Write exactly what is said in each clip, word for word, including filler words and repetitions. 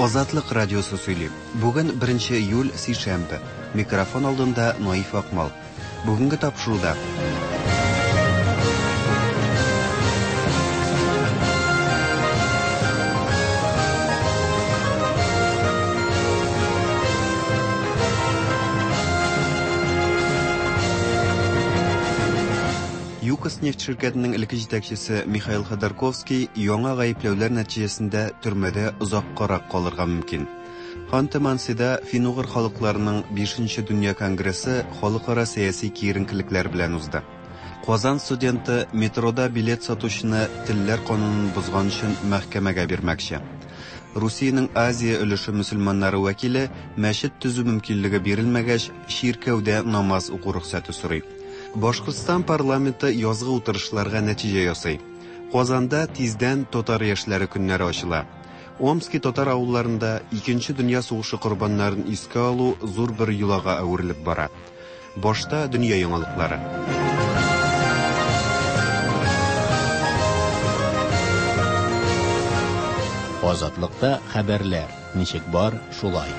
Азатлык радиосы сөйли. Бүген беренче июль, сишәмбе. Микрофон алдында Наиф Акмал. Бүгенге тапшыруда ЮКОС нефть ширкәтенең элекке җитәкчесе Михаил Ходорковский яңа гаепләүләр нәтиҗәсендә төрмәдә озаккарак калырга мөмкин. Ханты-Мансида фин-угыр халыкларының бишенче дөнья конгрессы халыкара сәяси киеренкелекләр белән узды. Казан студенты метрода билет сатучыны телләр канунын бозган өчен мәхкәмәгә бирмәкче. Русиянең Азия өлеше мөселманнары вәкиле мәчет төзү мөмкинлеге бирелмәгәч, чиркәүдә намаз уку рөхсәте сорый. Башкортстан парламенты язгы утырышларга нәтиҗә ясый. Казанда тиздән татар яшьләре көннәре ачыла. Омски татар авылларында Икенче дөнья сугышы корбаннарын искә алу зур бер йолага әверелеп бара. Башта дөнья яңалыклары. Азатлыкта хәбәрләр ничек бар, шулай.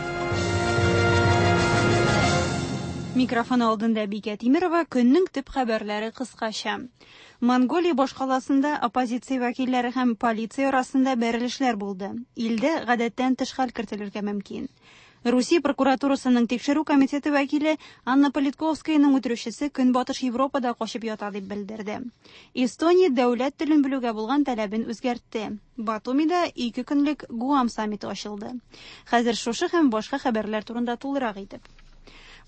Микрофон алдында Бикә Тимирова, көннең төп хәбәрләре кыскача. Монголия башкаласында оппозиция вәкилләре һәм полиция арасында бәрелешләр булды. Илдә гадәттән тыш хәл кертелергә мөмкин. Русия прокуратурасының тикшерү комитеты вәкиле Анна Политковскаяның үтерүчесе Көнбатыш Европада качып ята дип белдерде. Эстония дәүләт телен белүгә булган таләбен үзгәртте. Батумида ике көнлек Гуам саммиты ачылды. Хәзер шушы һәм башка хәбәрләр турында тулырак итеп.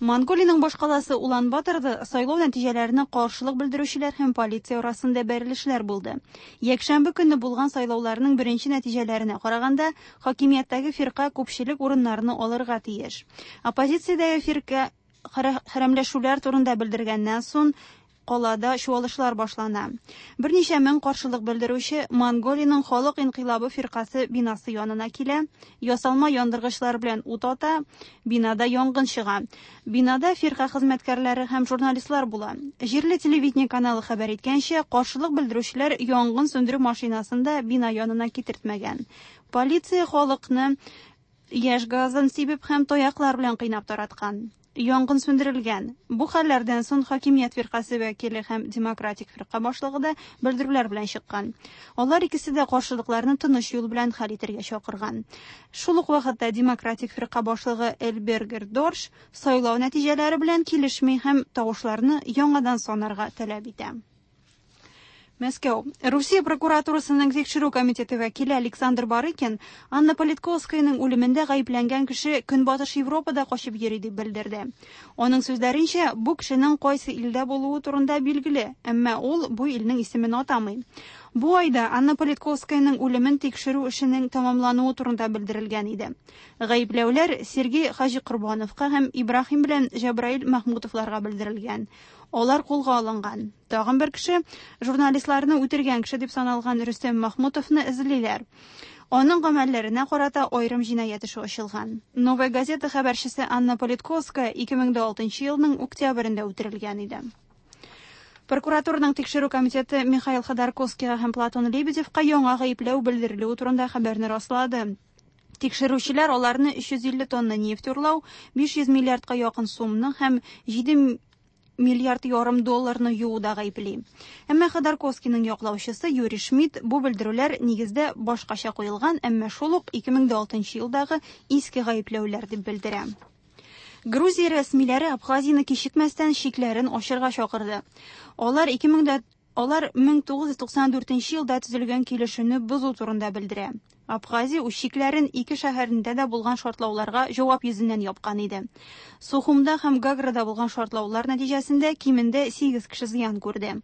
Монголиянең башкаласы Улан-Баторда сайлау нәтиҗәләренә каршылык белдерүчеләр һәм полиция арасында бәрелешләр булды. Якшәмбе көнне булган сайлауларның беренче нәтиҗәләренә караганда, хакимияттәге фирка күпчелек урыннарны алырга тиеш. Оппозициядәге фирка хәрәмләшүләр турында белдергәннән соң калада чуалышлар башлана. Берничә мең каршылык белдерүче Монголиянең халык инкыйлабы фиркасы бинасы янына килә, ясалма яндыргычлар белән ут ата, бинада янгын чыга. Бинада фирка хезмәткәрләре һәм журналистлар була. Җирле телевидение каналы хәбәр иткәнчә, каршылык белдерүчеләр янгын сүндерү машинасын да бина янына китертмәгән. Полиция халыкны яшь газын сибеп һәм таяклар белән кыйнап тараткан. Янгын сүндерелгән. Бу хәлләрдән соң хакимият фиркасы вәкиле һәм демократик фирка башлыгы да белдерүләр белән чыккан. Алар икесе дә каршылыкларны тыныч юл белән хәл итәргә чакырган. Шул ук вакытта демократик фирка башлыгы Элбергер Дорш сайлау нәтиҗәләре белән килешми һәм тавышларны яңадан санарга таләп итә. Мәскәү. Русия прокуратурасының тикшерү комитеты вәкиле Александр Барыкин Анна Политковскаяның үлемендә гаепләнгән кеше Көнбатыш Европада качып йөри дип белдерде. Аның сүзләренчә, бу кешенең кайсы илдә булуы турында билгеле, әмма ул бу илнең исемен атамый. Бу айда Анна Политковскаяның үлемен тикшерү эшенең тәмамлануы турында белдерелгән иде. Гаепләүләр Сергей Хаҗикорбановка һәм Ибраһим белән Җабраил Махмутовларга белдерелгән. Алар кулга алынган. Тагын бер кеше журналистларны үтергән кеше дип саналган Рөстәм Махмутовны эзлиләр. Аның гамәлләренә карата аерым җинаять эше ачылган. Новая газета хәбәрчесе Анна Политковская ике мең дә алтынчы елның октябрендә үтерелгән иде. Прокуратураның тикшерү комитеты Михаил Ходорковскийга һәм Платон Лебедевка яңа гаепләү белдерелүе турында хәбәрне раслады. Тикшерүчеләр аларны өч йөз илле тонна нефть урлау, биш йөз миллиардка якын сумны һәм җиде миллиард ярым долларны юуда гаепли. Әмма Ходорковскийның яклаучысы Юрий Шмидт бу белдерүләр нигездә башкача куелган, әмма шул ук ике мең дә алтынчы елдагы иске гаепләүләр дип белдерә. Грузия рәсмиләре Абхазияны кичекмәстән чикләрен ачырга чакырды. Алар ике мең дә Алар мең тугыз йөз туксан дүртенче елда төзелгән килешүне бозу турында белдерә. Абхазия үз чикләрен ике шәһәрендә дә булган шартлауларга җавап йөзеннән япкан иде. Сухумда һәм Гаграда булган шартлаулар нәтиҗәсендә кимендә сигез кеше зыян күрде.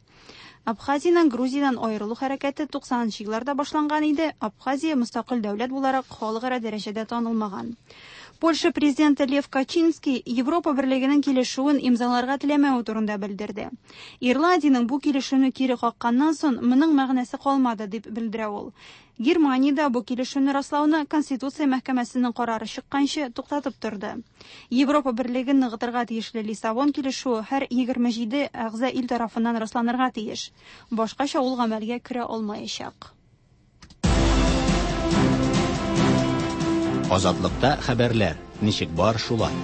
Абхазиянең Грузиядән аерылу хәрәкәте туксанынчы елларда башланган иде. Абхазия мөстәкыйль дәүләт буларак халыкара дәрәҗәдә танылмаган. Польша президенты Лев Качинский Европа Берлегенең килешүен имзаларга теләмәве турында белдерде. Ирландиянең бу килешүне кире какканнан соң моның мәгънәсе калмады дип белдерә ул. Германиядә бу килешүне раслауны Конституция мәхкәмәсенең карары чыкканчы туктатып торды. Европа Берлеген ныгытырга тиешле Лиссабон килешүе һәр егерме җиде әгъза ил тарафыннан расланырга тиеш. Башкача ул гамәлгә керә алмаячак. Азатлыкта хәбәрләр ничек бар шулай.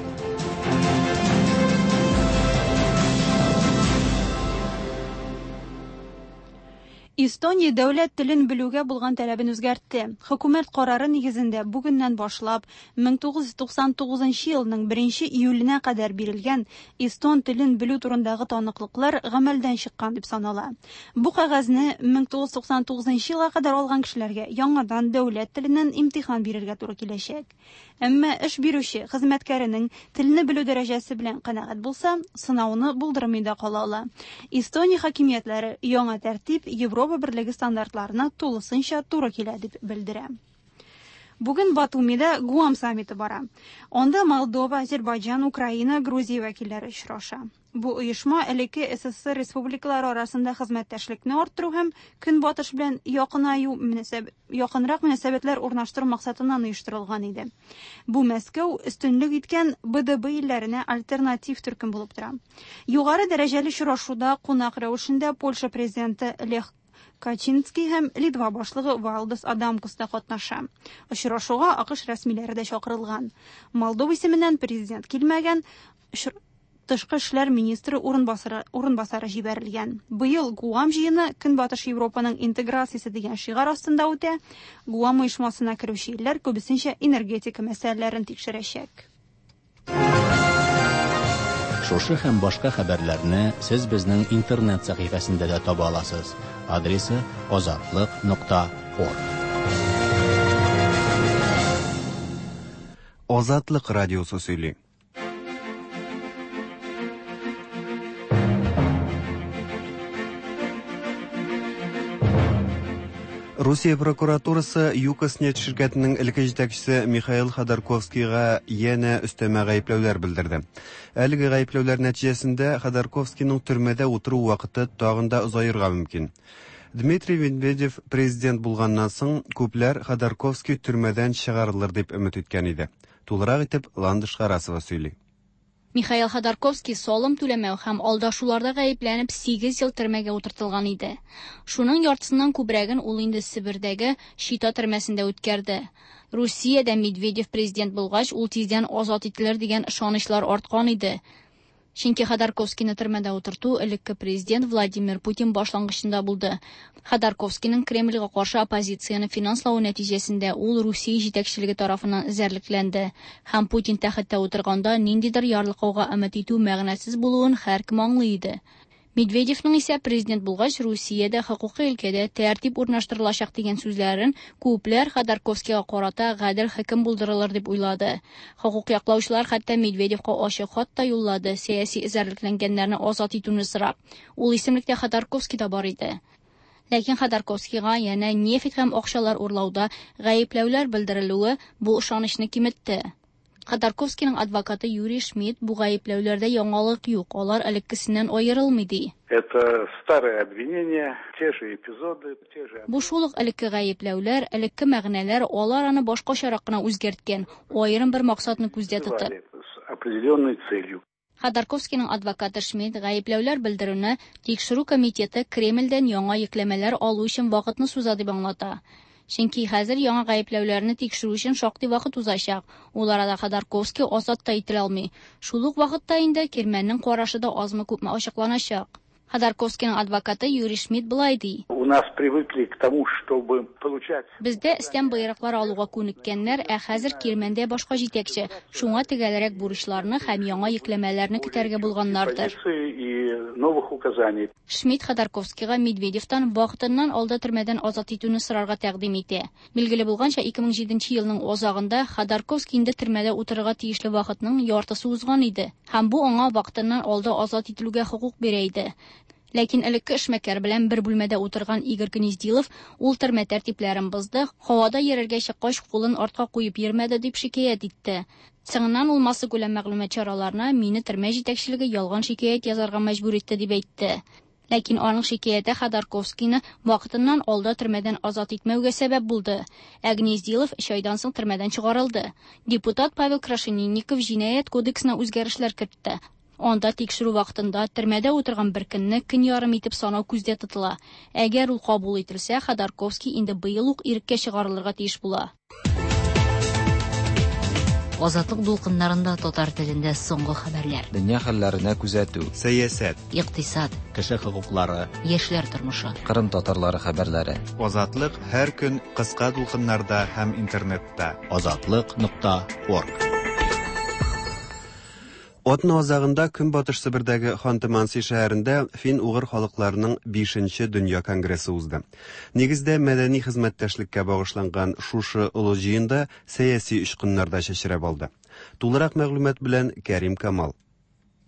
Эстония дәүләт телен белүгә булган таләбен үзгәртте. Хөкүмәт карары нигезендә бүгеннән башлап мең тугыз йөз туксан тугызынчы елның беренче июленә кадәр бирелгән эстон телен белү турындагы таныклыклар гамәлдән чыккан дип санала. Бу кәгазьне мең тугыз йөз туксан тугызынчы елга кадәр алган кешеләргә яңадан дәүләт теленнән имтихан бирергә туры киләчәк. Әмма эш бирүче хезмәткәренең телне белү дәрәҗәсе белән канәгать булса, сынауны булдырмый да кала ала. Эстония хакимиятләре яңа тәртип Европа Берлеге стандартларына тулысынча туры килә дип белдерә. Бүген Батумида Гуам саммиты бара. Анда Молдова, Азербайҗан, Украина, Грузия вәкилләре очраша. Бу оешма элекке СССР республикалары арасында хезмәттәшлекне арттыру һәм Көнбатыш белән якынаю мөнәсәб, якынрак мөнәсәбәтләр урнаштыру максатыннан оештырылган иде. Бу Мәскәү өстенлек иткән Б Д Б илләренә альтернатив төркем булып тора. Югары дәрәҗәле очрашуда кунак рәвешендә Польша президенты Лех Качинский һәм Литва башлыгы Валдас Адамкус та катнаша. Очрашуга АКШ рәсмиләре дә чакырылган. Молдова исеменнән президент килмәгән, тышкы эшләр министры урынбасары, урынбасары җибәрелгән. Быел Гуам җыены Көнбатыш Европаның интеграциясе дигән шиғар астында үтә. Гуам оешмасына керүче илләр күбесенчә энергетика мәсьәләләрен тикшерәчәк. Шушы һәм башка хәбәрләрне сез безнең интернет сәхифәсендә дә таба аласыз. Адресы азатлык нокта орг. Азатлык радиосы сөйли. Русия прокуратурасы ЮКОС нефть ширкәтенең элекке җитәкчесе Михаил Ходорковскийга янә өстәмә гаепләүләр белдерде. Әлеге гаепләүләр нәтиҗәсендә Ходорковскийның төрмәдә утыру вакыты тагын да озаерга мөмкин. Дмитрий Медведев президент булганнан соң күпләр Ходорковский төрмәдән чыгарылыр дип өмет иткән иде. Тулырак итеп Ландыш Харасова сөйли. Михаил Ходорковский салым түләмәү һәм алдашуларда гаепләнеп сигез ел төрмәгә утыртылган иде. Шуның яртысыннан күбрәген ул инде Себердәге Чита төрмәсендә үткәрде. Русиядә Медведев президент булгач, ул тиздән азат ителер дигән ышанычлар арткан иде. Чөнки Ходорковскийны төрмәдә утырту элекке президент Владимир Путин башлангычында булды. Ходорковскийның Кремльгә каршы оппозицияне финанславы нәтиҗәсендә ул Русия җитәкчелеге тарафыннан эзәрлекләнде. Һәм Путин тәхеттә утырганда ниндидер ярлыкауга өмет итү мәгънәсез булуын һәркем аңлый иде. Медведевның исә президент булгач Русиядә хокукый өлкәдә тәртип урнаштырылачак дигән сүзләрен күпләр Ходорковскийга карата гадел хөкем булдырылыр дип уйлады. Хокук яклаучылар хәтта Медведевка ачык хат та юллады, сәяси эзәрлекләнгәннәрне азат итүне сорап. Ул исемлектә Ходорковский да бар иде. Ләкин Ходорковскийга янә нефть һәм акчалар урлауда гаепләүләр белдерелүе бу ышанычны киметте. Ходорковскийның адвокаты Юрий Шмидт бу гаепләүләрдә яңалык юк, алар элеккесеннән аерылмый ди. Это старые обвинения, те же эпизоды, те же Бу шул ук элекке гаепләүләр, элекке мәгънәләр, алар аны башкачарак кына үзгәрткән, аерым бер максатны күздә тотып. С определенной целью. Ходорковскийның адвокаты Шмидт гаепләүләр белдерүне тикшерү комитеты Кремльдән яңа йөкләмәләр алу өчен вакытны суза дип аңлата. Чөнки хәзер яңа гаепләүләрне тикшерү өчен шактый вакыт узачак. Ул арада Ходорковский азат та ителә алмый. Шул ук вакытта инде Кирмәннең карашы да азмы-күпме ачыкланачак. Ходорковскийның адвокаты Юрий Шмидт былай ди. У нас привыкли к тому, чтобы получать Бездә өстән боерыклар алуга күнеккәннәр, ә хәзер Кирмәндә башка җитәкче. Шуңа төгәлрәк бурычларны һәм яңа йөкләмәләрне көтәргә булганнардыр. Позиции и новых указаний. Шмидт Ходорковскийга Медведевтан вакытыннан алда төрмәдән азат итүне сорарга тәкъдим итә. Билгеле булганча, ике мең җиденче елның азагында Ходорковский инде төрмәдә утырырга тиешле вакытның яртысы узган иде. Һәм бу аңа вакытыннан алда азат ителүгә хокук бирә иде. Ләкин элекке эшмәкәр белән бер бүлмәдә утырган Игорь Гнездилов ул төрмә тәртипләрен бозды, һавада йөрергә чыккач кулын артка куеп йөрмәде дип шикаять итте. Соңыннан ул массакүләм мәгълүмат чараларына мине төрмә җитәкчелеге ялган шикаять язарга мәҗбүр итте дип әйтте. Ләкин аның шикаяте Ходорковскийны вакытыннан алда төрмәдән азат итмәүгә сәбәп булды. Ә Гнездилов өч айдан соң төрмәдән чыгарылды. Депутат Павел Крашенинников җинаять кодексына үзгәрешләр кертте. Анда тикшерү вакытында төрмәдә утырган бер көнне көн ярым итеп санау күздә тотыла. Әгәр ул кабул ителсә, Ходорковский инде быел ук иреккә чыгарылырга тиеш була. Азатлык дулкыннарында татар телендә соңгы хәбәрләр. Дөнья хәлләренә күзәтү. Сәясәт. Икътисад. Кеше хокуклары. Яшьләр тормышы. Кырым татарлары хәбәрләре. Азатлык һәр көн кыска дулкыннарда һәм интернетта. Азатлык нокта орг. Атна азагында Көнбатыш Себердәге Ханты-Манси шәһәрендә фин-угыр халыкларының бишенче дөнья конгрессы узды. Нигездә мәдәни хезмәттәшлеккә багышланган шушы олы җыенда сәяси очкыннар да чәчрәп алды. Тулырак мәгълүмат белән Кәрим Камал.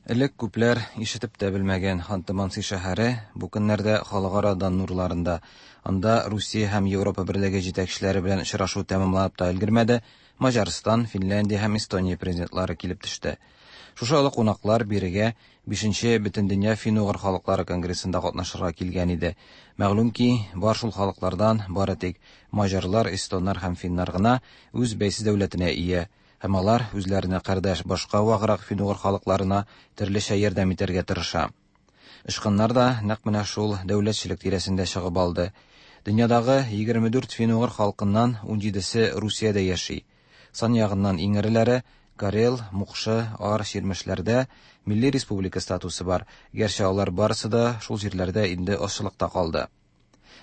Элек күпләр ишетеп тә белмәгән Ханты-Манси шәһәре бу көннәрдә халыкара дан нурларында. Анда Русия һәм Европа берлеге җитәкчеләре белән очрашу тәмамланып та өлгермәде, Маҗарстан, Финляндия һәм Эстония президентлары килеп төште. Шушы олы кунаклар бирегә бишенче Бөтендөнья фин-угыр халыклары конгрессында катнашырга килгән иде. Мәгълүм ки, бар шул халыклардан бары тик маҗарлар, эстоннар һәм финнар гына үз бәйсез дәүләтенә ия, һәм алар үзләренә кардәш башка ваграк фин-угыр халыкларына төрлечә ярдәм итәргә тырыша. Очкыннар да нәкъ менә шул дәүләтчелек тирәсендә чыгып алды. Дөньядагы егерме дүрт фин-угыр халкыннан ун җидесе Русиядә яши. Сан ягыннан иң эреләре Карел, Мукшы, Ар, Чирмешләрдә милли республика статусы бар, гәрчә алар барысы да шул җирләрдә инде азчылыкта калды.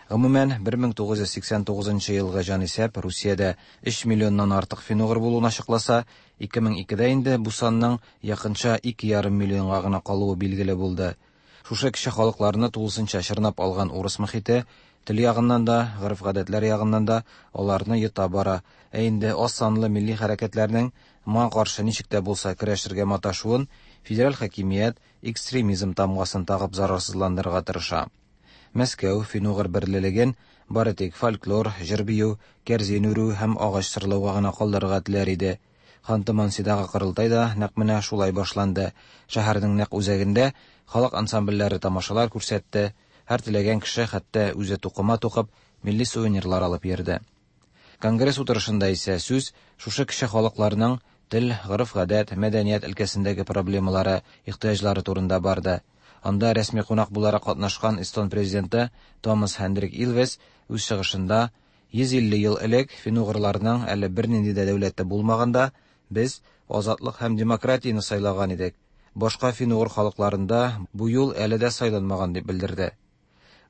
Гомумән, бер мең тугыз йөз сиксән тугызынчы елгы җанисәп Русиядә өч миллионнан артык фин-угыр булуын ачыкласа, ике мең икедә инде бу санның якынча ике ярым миллионга гына калуы билгеле булды. Шушы кече халыкларны тулысынча чорнап алган урыс мохите тел ягыннан да, гореф-гадәтләр ягыннан да аларны йота бара. Ә инде аз санлы милли хәрәкәтләрнең моңа каршы ничек тә булса көрәшергә маташуын федераль хакимият экстремизм тамгасын тагып зарарсызландырырга тырыша. Мәскәү фин-угыр берлелеген бары тик фольклор, җыр-бию, кәрзин үрү һәм агач сырлауга гына калдырырга теләр иде. Ханты-Мансидагы корылтай да нәкъ менә шулай башланды. Шәһәрнең нәкъ үзәгендә халык ансамбльләре тамашалар күрсәтте. Һәр теләгән кеше хәтта үзе тукыма тукып милли сувенирлар алып йөрде. Конгресс утырышында исә сүз шушы кече халыкларның тел, гореф-гадәт, мәдәният өлкәсендәге проблемалары, ихтыяҗлары турында барды. Анда рәсми кунак буларак катнашкан Эстон президенты Томас Хендрик Илвес үз чыгышында йөз илле ел элек фин-угырларның әле бернинди дә дәүләте булмаганда без азатлык һәм демократияне сайлаган идек. Башка фин-угыр халыкларында бу юл әле дә сайланмаган дип белдерде.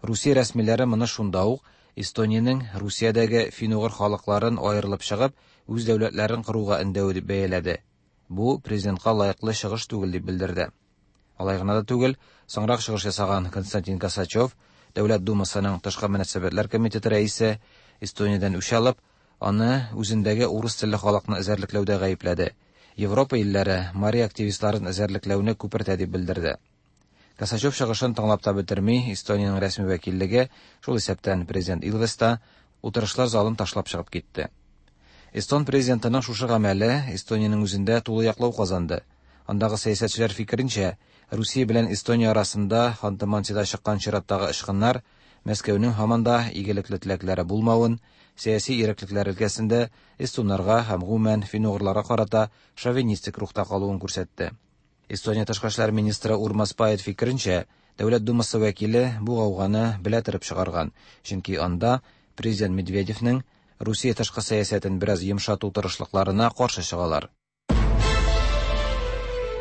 Русия рәсмиләре моны шунда ук Эстониянең Русиядәге фин-угыр халыкларын аерылып чыгып, үз дәүләтләрен коруга өндәве дип бәяләде. Бу президентка лаеклы чыгыш түгел дип белдерде. Алай гына да түгел, соңрак чыгыш ясаган Константин Косачев, Дәүләт Думасының тышкы мөнәсәбәтләр комитеты рәисе, Эстониядән үч алып, аны үзендәге урыс телле халыкны эзәрлекләүдә гаепләде. Европа илләре мари активистларын эзәрлекләүне күпертә дип белдерде. Косачев чыгышын тыңлап та бетерми, Эстониянең рәсми вәкиллеге, шул исәптән президент Илвес та, утырышлар залын ташлап чыгып китте. Эстон президентының шушы гамәле Эстониянең үзендә тулы яклау казанды. Андагы сәясәтчеләр фикеренчә, Русия белән Эстония арасында Ханты-Мансида чыккан чираттагы очкыннар Мәскәүнең һаман да игелекле теләкләре булмавын, сәяси иреклекләр өлкәсендә эстоннарга һәм гомумән фин-угырларга карата шовинистик рухта калуын күрсәтте. Эстония тышкы эшләр министры Урмас Пает фикеренчә, Дәүләт Думасы вәкиле бу гауганы белә торып чыгарган, чөнки анда президент Медведевнең Русия тышкы сәясәтен бераз йомшату тырышлыкларына каршы чыгалар.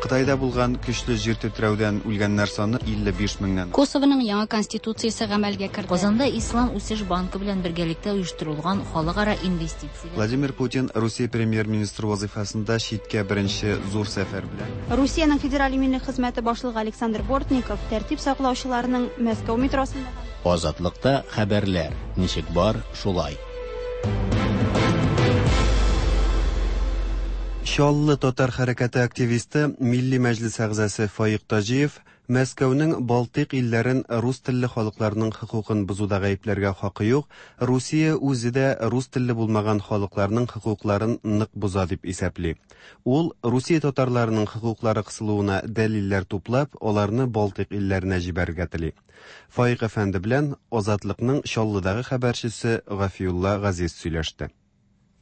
Кытайда булган көчле җир тетрәүдән үлгәннәр саны илле биш меңнән. Косовоның яңа конституциясе гамәлгә керде. Казанда Ислам үсеш банкы белән бергәлектә оештырылган халыкара инвестицияләр. Владимир Путин Русия премьер-министры вазифасында читкә беренче зур сәфәр белән. Русиянең федераль иминлек хезмәте башлыгы Александр Бортников тәртип саклаучыларның Мәскәү метросында Азатлыкта хәбәрләр ничек бар, шулай. Чаллы татар хәрәкәте активисты, Милли Мәҗлис әгъзасы Фаик Таҗиев Мәскәүнең Балтыйк илләрен рус телле халыкларның хокукын бозуда гаепләргә хакы юк, Русия үзе дә рус телле булмаган халыкларның хокукларын нык боза дип исәпли. Ул Русия татарларының хокуклары кысылуына дәлилләр туплап, аларны Балтыйк илләренә җибәрергә тели. Фаик әфәнде белән Азатлыкның Чаллыдагы хәбәрчесе Гафиулла Газиз сөйләште.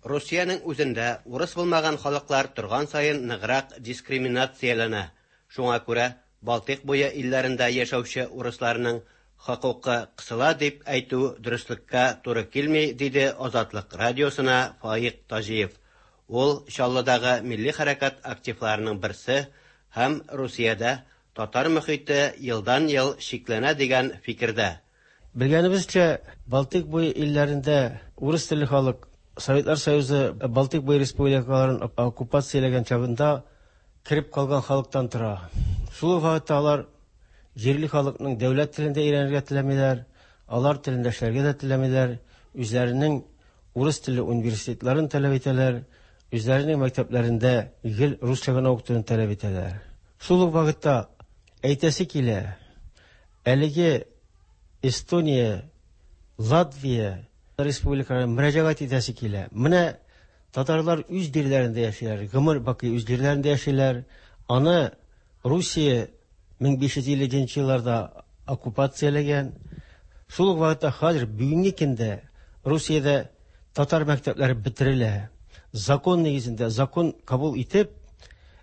Русиянең үзендә урыс булмаган халыклар торган саен ныграк дискриминацияләнә. Шуңа күрә Балтыйк буе илләрендә яшәүче урысларның хокукы кысыла дип әйтү дөреслеккә туры килми, диде Азатлык радиосына Фаик Таҗиев. Ул Чаллыдагы милли хәрәкәт активларының берсе һәм Русиядә татар мөхите елдан-ел чикләнә дигән фикердә. Белгәнебезчә, Балтыйк буе илләрендә урыс телле халык Советлар Союзы Балтыйк буе республикаларын оккупацияләгән чагында кереп калган халыктан тора. Шул ук вакытта алар җирле халыкның дәүләт телендә өйрәнергә теләмиләр, алар телендә эшләргә дә теләмиләр, үзләренең урыс телле университетларын таләп итәләр, үзләренең мәктәпләрендә гел русча гына укытуны таләп итәләр. Шул ук вакытта әйтәсе килә, әлеге Эстония, Латвия республикаларына мөрәҗәгать итәсе килә. Менә татарлар үз җирләрендә яшиләр, гомер бакый үз җирләрендә яшиләр. Аны Русия мең биш йөз илленче елларда оккупацияләгән. Шул ук вакытта хәзер бүгенге көндә Русиядә татар мәктәпләре бетерелә. Закон нигезендә, закон кабул итеп,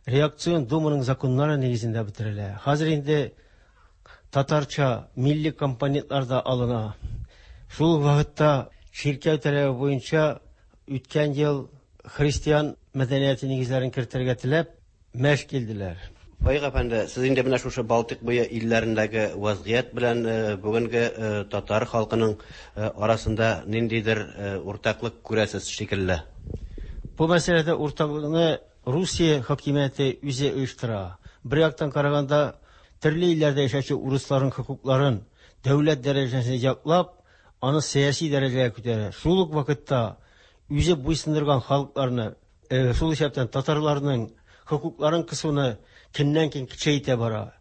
реакцион думаның законнары нигезендә бетерелә. Хәзер инде татарча милли компонентлар да алына. Шул ук вакытта чиркәү таләбе буенча үткән ел христиан мәдәнияте нигезләрен кертергә теләп мәш килделәр. Фаик әфәнде, сез инде менә шушы Балтыйк буе илләрендәге вазгыять белән бүгенге татар халкының арасында ниндидер уртаклык күрәсез шикелле. Бу мәсьәләдә уртаклыкны Русия хакимияте үзе оештыра. Бер яктан караганда, төрле илләрдә яшәүче урысларның хокукларын дәүләт дәрәҗәсендә яклап, аны сәяси дәрәҗәгә күтәрә. Шул ук вакытта үзе буйсындырган халыкларны, шул исәптән татарларның хокукларын кысуны көннән-көн көчәйтә бара.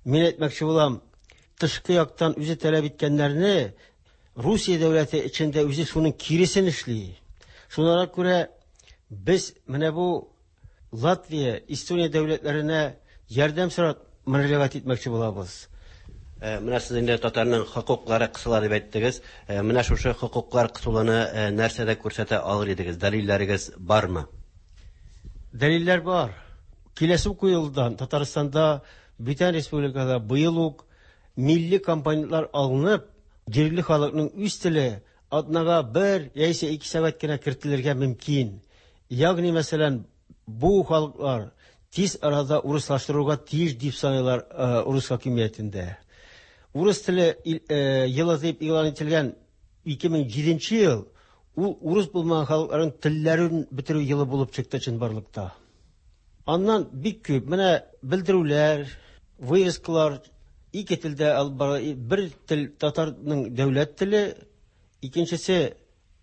Мин әйтмәкче булам, тышкы яктан үзе таләп иткәннәрне Русия дәүләте эчендә үзе шуның киресен эшли. Шуңа күрә без менә бу Латвия, Эстония дәүләтләренә ярдәм сорап мөрәҗәгать итмәкче булабыз. Менә сез инде татарның хокуклары кысыла дип әйттегез. Менә шушы хокуклар кысуланы нәрсәдә күрсәтә алыр идегез? Дәлилләрегез бармы? Дәлилләр бар. Киләсе уку елдан Татарстанда, бүтән республикада быел ук милли компонентлар алынып, җирле халыкның үз теле атнага бер яисә ике сәгать кенә кертелергә мөмкин. Ягъни, мәсәлән, бу халыклар тиз арада урыслаштыруга тиеш дип саныйлар урыс хакимиятендә. Урыс теле елы дип игълан ителгән ике мең җиденче ел ул урыс булмаган халыкларның телләрен бетерү елы булып чыкты чынбарлыкта. Аннан бик күп менә белдерүләр, вывескалар ике телдә алып бара. Бер тел татарның дәүләт теле, икенчесе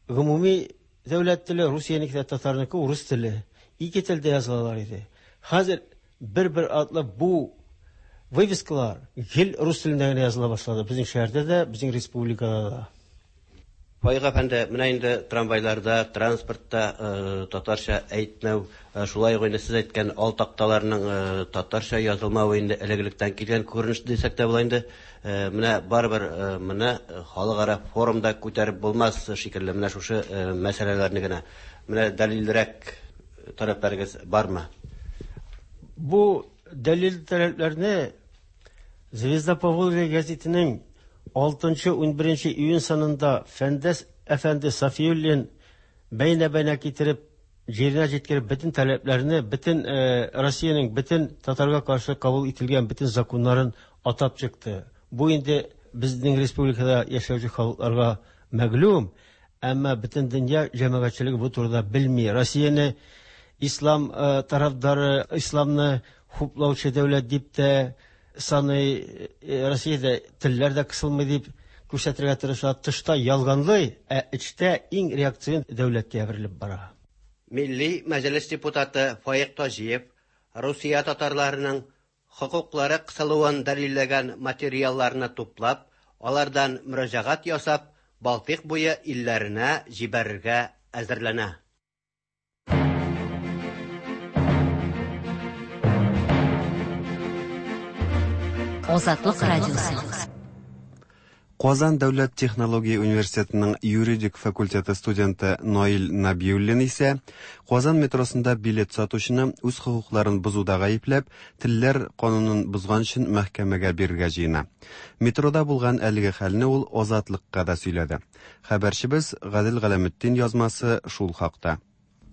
гомуми дәүләт теле, Русиянеке дә татарныкы урыс теле. Ике телдә язылалар иде. Хәзер бер-бер атлы бу вывескалар гел рус телендә генә языла башлады. Безнең шәһәрдә дә, безнең республикада да. Фаик әфәнде, менә инде трамвайларда, транспортта татарча әйтмәү, шулай ук инде сез әйткән ал такталарның татарча язылмавы инде элек-электән килгән күренеш дисәк тә була инде. Менә барыбер моны халыкара форумда күтәреп булмас шикелле, менә шушы мәсьәләләрне генә. Менә дәлилрәк таләпләрегез бармы? Бу дәлил таләпләрне Звезда Поволжья газетының алтынчы ун беренче июнь санында Фәндәс әфәнде Сафиуллин бәйнә-бәйнә китереп, җиренә җиткереп бөтен таләпләрне, бөтен Россиянең бөтен татарга каршы кабул ителгән бөтен законнарын атап чыкты. Бу инде безнең республикада яшәүче халыкларга мәгълүм, әмма бөтен дөнья җәмәгатьчелеге бу турыда белми. Россияне ислам тарафдары, исламны хуплаучы дәүләт дип тә саный, Россиядә телләр дә кысылмый дип күрсәтергә тырыша. Тышта ялганлый, ә эчтә иң реакцион дәүләткә әверелеп бара. Милли Мәҗлес депутаты Фаик Таҗиев Русия татарларының хокуклары кысылуын дәлилләгән материалларны туплап, алардан мөрәҗәгать ясап, Балтыйк буе илләренә җибәрергә әзерләнә. Азатлык радиосы. Казан дәүләт технология университетының юридик факультеты студенты Наил Набиуллин исә Казан метросында билет сатучыны үз хокукларын бозуда гаепләп, телләр канунын бозган өчен мәхкәмәгә бирергә җыена. Метрода булган әлеге хәлне ул Азатлыкка да сөйләде. Хәбәрчебез Гадел Галәметдин язмасы шул хакта.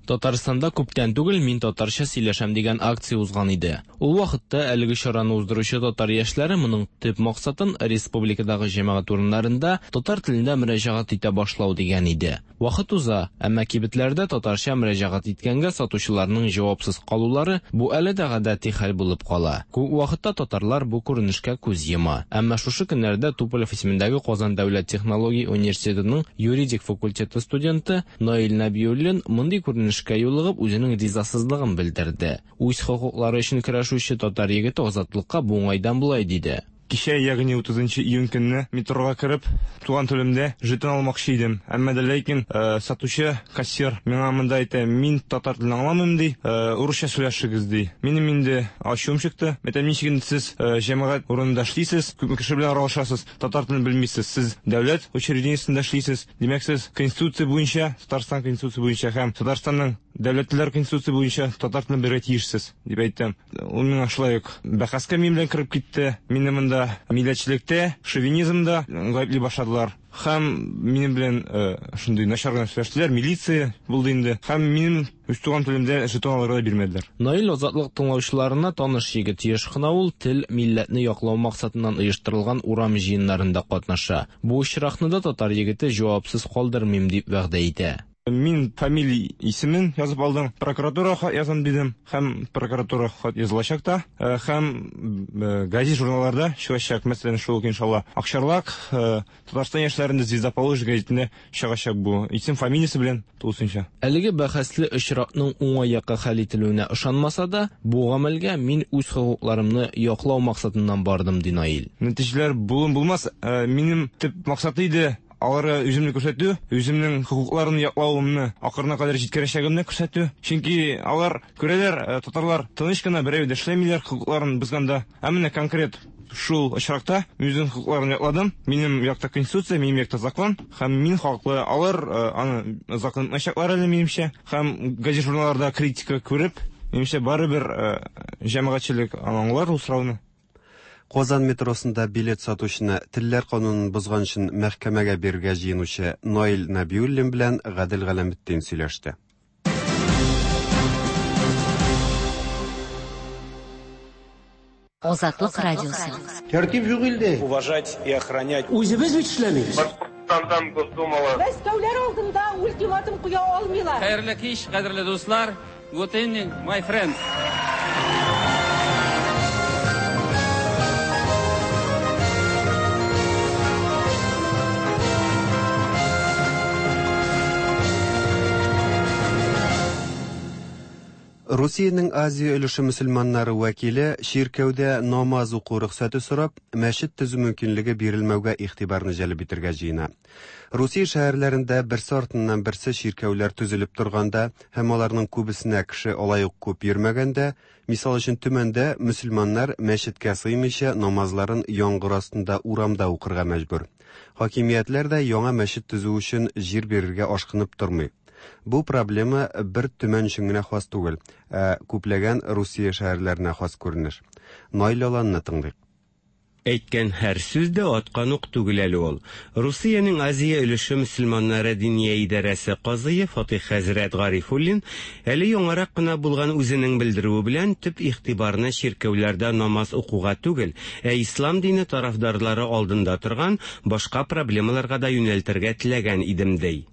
Татарстанда күптән түгел «Мин татарча сөйләшәм» дигән акция узган иде. Ул вакытта әлеге чараны уздыручы татар яшьләре моның төп максатын республикадагы җәмәгать урыннарында татар телендә мөрәҗәгать итә башлау дигән иде. Вакыт уза, әмма кибетләрдә татарча мөрәҗәгать иткәнгә сатучыларның җавапсыз калулары бу әле дә гадәти хәл булып кала. Күп вакытта татарлар бу күренешкә күз йома. Әмма шушы көннәрдә Туполев исемендәге Казан дәүләт технология университетының юридик факультеты студенты Наил Нәбиуллин мондый күренешкә юлыгып үзенең ризасызлыгын белдерде. Үз хокуклары өчен көрәшүче татар егете Азатлыкка бу уңайдан болай диде. Кичә, ягъни утызынчы июнь көнне метрога кереп, туган телемдә жетон алмакчы идем. Әмма дә ләкин э, сатучы, кассир миңа монда әйтә, мин татар телен аңламыйм ди, э, урысча сөйләшегез ди. Минем инде ачуым чыкты. Әйтәм, ничек инде сез э, җәмәгать урынында эшлисез, күпме кеше белән аралашасыз, татар телен белмисез, сез дәүләт учреждениесендә эшлисез. Димәк, сез конституция буенча, Татарстан конституция буенча һәм Татарстанның дәүләтләр конституция буенча татар телен белергә тиешсез, дип әйттем. Ул миңа шулай ук бәхәскә минем белән кереп китте. Мине монда милләтчелектә, шовинизмда гаепли башладылар. Һәм минем белән шундый начар гына сөйләштеләр, милиция булды инде. Һәм минем үз туган телемдә жетон алырга да бирмәделәр. Наил Азатлык тыңлаучыларына таныш егет. Еш кына ул тел, милләтне яклау максатыннан оештырылган урам җыеннарында катнаша. Бу очракны да татар егете җавапсыз калдырмыйм дип вәгъдә итә. Мин фамилия исемен язып алдым, прокуратура хат язам дидем, һәм прокуратура хат язылачак та, һәм газет журналларда чыгачак, мәсәлән, шул ук иншалла Акчарлак, Татарстан яшьләрендә Звезда Поволжья гәзитендә чыгачак бу исем фамилиясе белән тулысынча. Әлеге бәхәсле очракның уңай якка хәл ителүенә ышанмаса да, бу гамәлгә мин үз хокукларымны яклау максатыннан бардым, ди Наил. Нәтиҗәләр булын булмас, минем төп максат иде аларга үземне күрсәтү, үземнең хокукларын яклавымны ахырына кадәр җиткерәчәгемне күрсәтү. Чөнки алар күрәләр, татарлар тыныч кына берәү дә эшләмиләр хокукларын бозганда. Ә менә конкрет шул очракта үземнең хокукларын якладым. Минем якта конституция, минем якта закон, һәм мин хаклы. Алар аны закон итмәячәкләр әле минемчә. Һәм газет журналларда критика күреп, минемчә барыбер җәмәгатьчелек аңлар ул сорауны. Казан метросында билет сатучыны телләр канунын бозган өчен мәхкәмәгә бирергә җыенучы Наил Нәбиуллин белән Гадел Галәметдин сөйләште. Азатлык радиосы. Тәртип юк илдә. Уважать и охранять. Үзебез бит эшләмибез. Башкортстандан Госдумала. Мәскәүләр алдында ультиматум куя алмыйлар. Хәерле кич, кадерле дуслар. Good evening, my friends. Русиянең Азия өлеше мөселманнары вәкиле чиркәүдә намаз уку рөхсәте сорап, мәчет төзү мөмкинлеге бирелмәүгә игътибарны җәлеп итәргә җыена. Русия шәһәрләрендә берсе артыннан берсе чиркәүләр төзелеп торганда һәм аларның күбесенә кеше алай ук күп йөрмәгәндә, мисал өчен Төмәндә мөселманнар мәчеткә сыймыйча намазларын яңгыр астында урамда укырга мәҗбүр. Хакимиятләр дә яңа мәчет төзү өчен җир бирергә ашкынып тормый. Бу проблема бер Төмән өчен генә хас түгел, ә күпләгән Русия шәһәрләренә хас күренеш. Наил Аланны тыңлыйк. Әйткән һәр сүз дә аткан ук түгел әле ул. Русиянең Азия өлеше мөселманнары диния идарәсе казые Фатих хәзрәт Гарифуллин әле яңарак кына булган үзенең белдерүе белән төп игътибарны чиркәүләрдә намаз укуга түгел, ә ислам дине тарафдарлары алдында торган башка проблемаларга да юнәлтергә теләгән идем ди.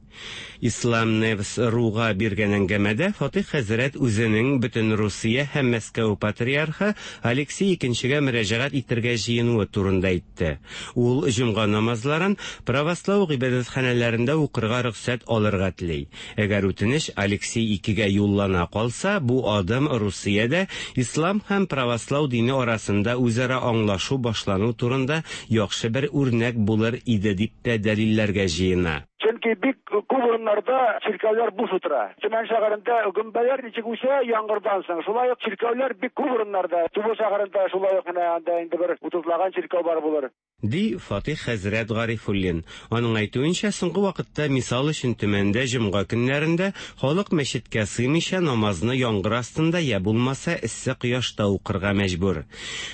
Ислам Невс Руга биргән әңгәмәдә Фатих хәзрәт үзенең бөтен Русия һәм Мәскәү патриархы Алексей икенчегә мөрәҗәгать итәргә җыенуы турында әйтте. Ул җомга намазларын православ гыйбадәтханәләрендә укырга рөхсәт алырга тели. Әгәр үтенеч Алексей икегә юллана калса, бу адым Русиядә ислам һәм православ дине арасында үзара аңлашу башлану турында яхшы бер үрнәк булыр иде дип тә дәлилләргә җыена. Чөнки бик күп урыннарда чиркәүләр буш утыра. Төмән шәһәрендә гөмбәләр ничек үсә яңгырдан соң, шулай ук чиркәүләр бик күп урыннарда. Тубыл шәһәрендә шулай ук менә анда инде бер утызлаган чиркәү бар булыр. Ди Фатих хәзрәт Гарифуллин. Аның әйтүенчә, соңгы вакытта мисал өчен Төмәндә җомга көннәрендә халык мәчеткә сыймыйча намазны яңгыр астында я булмаса эссе кояшта укырга мәҗбүр.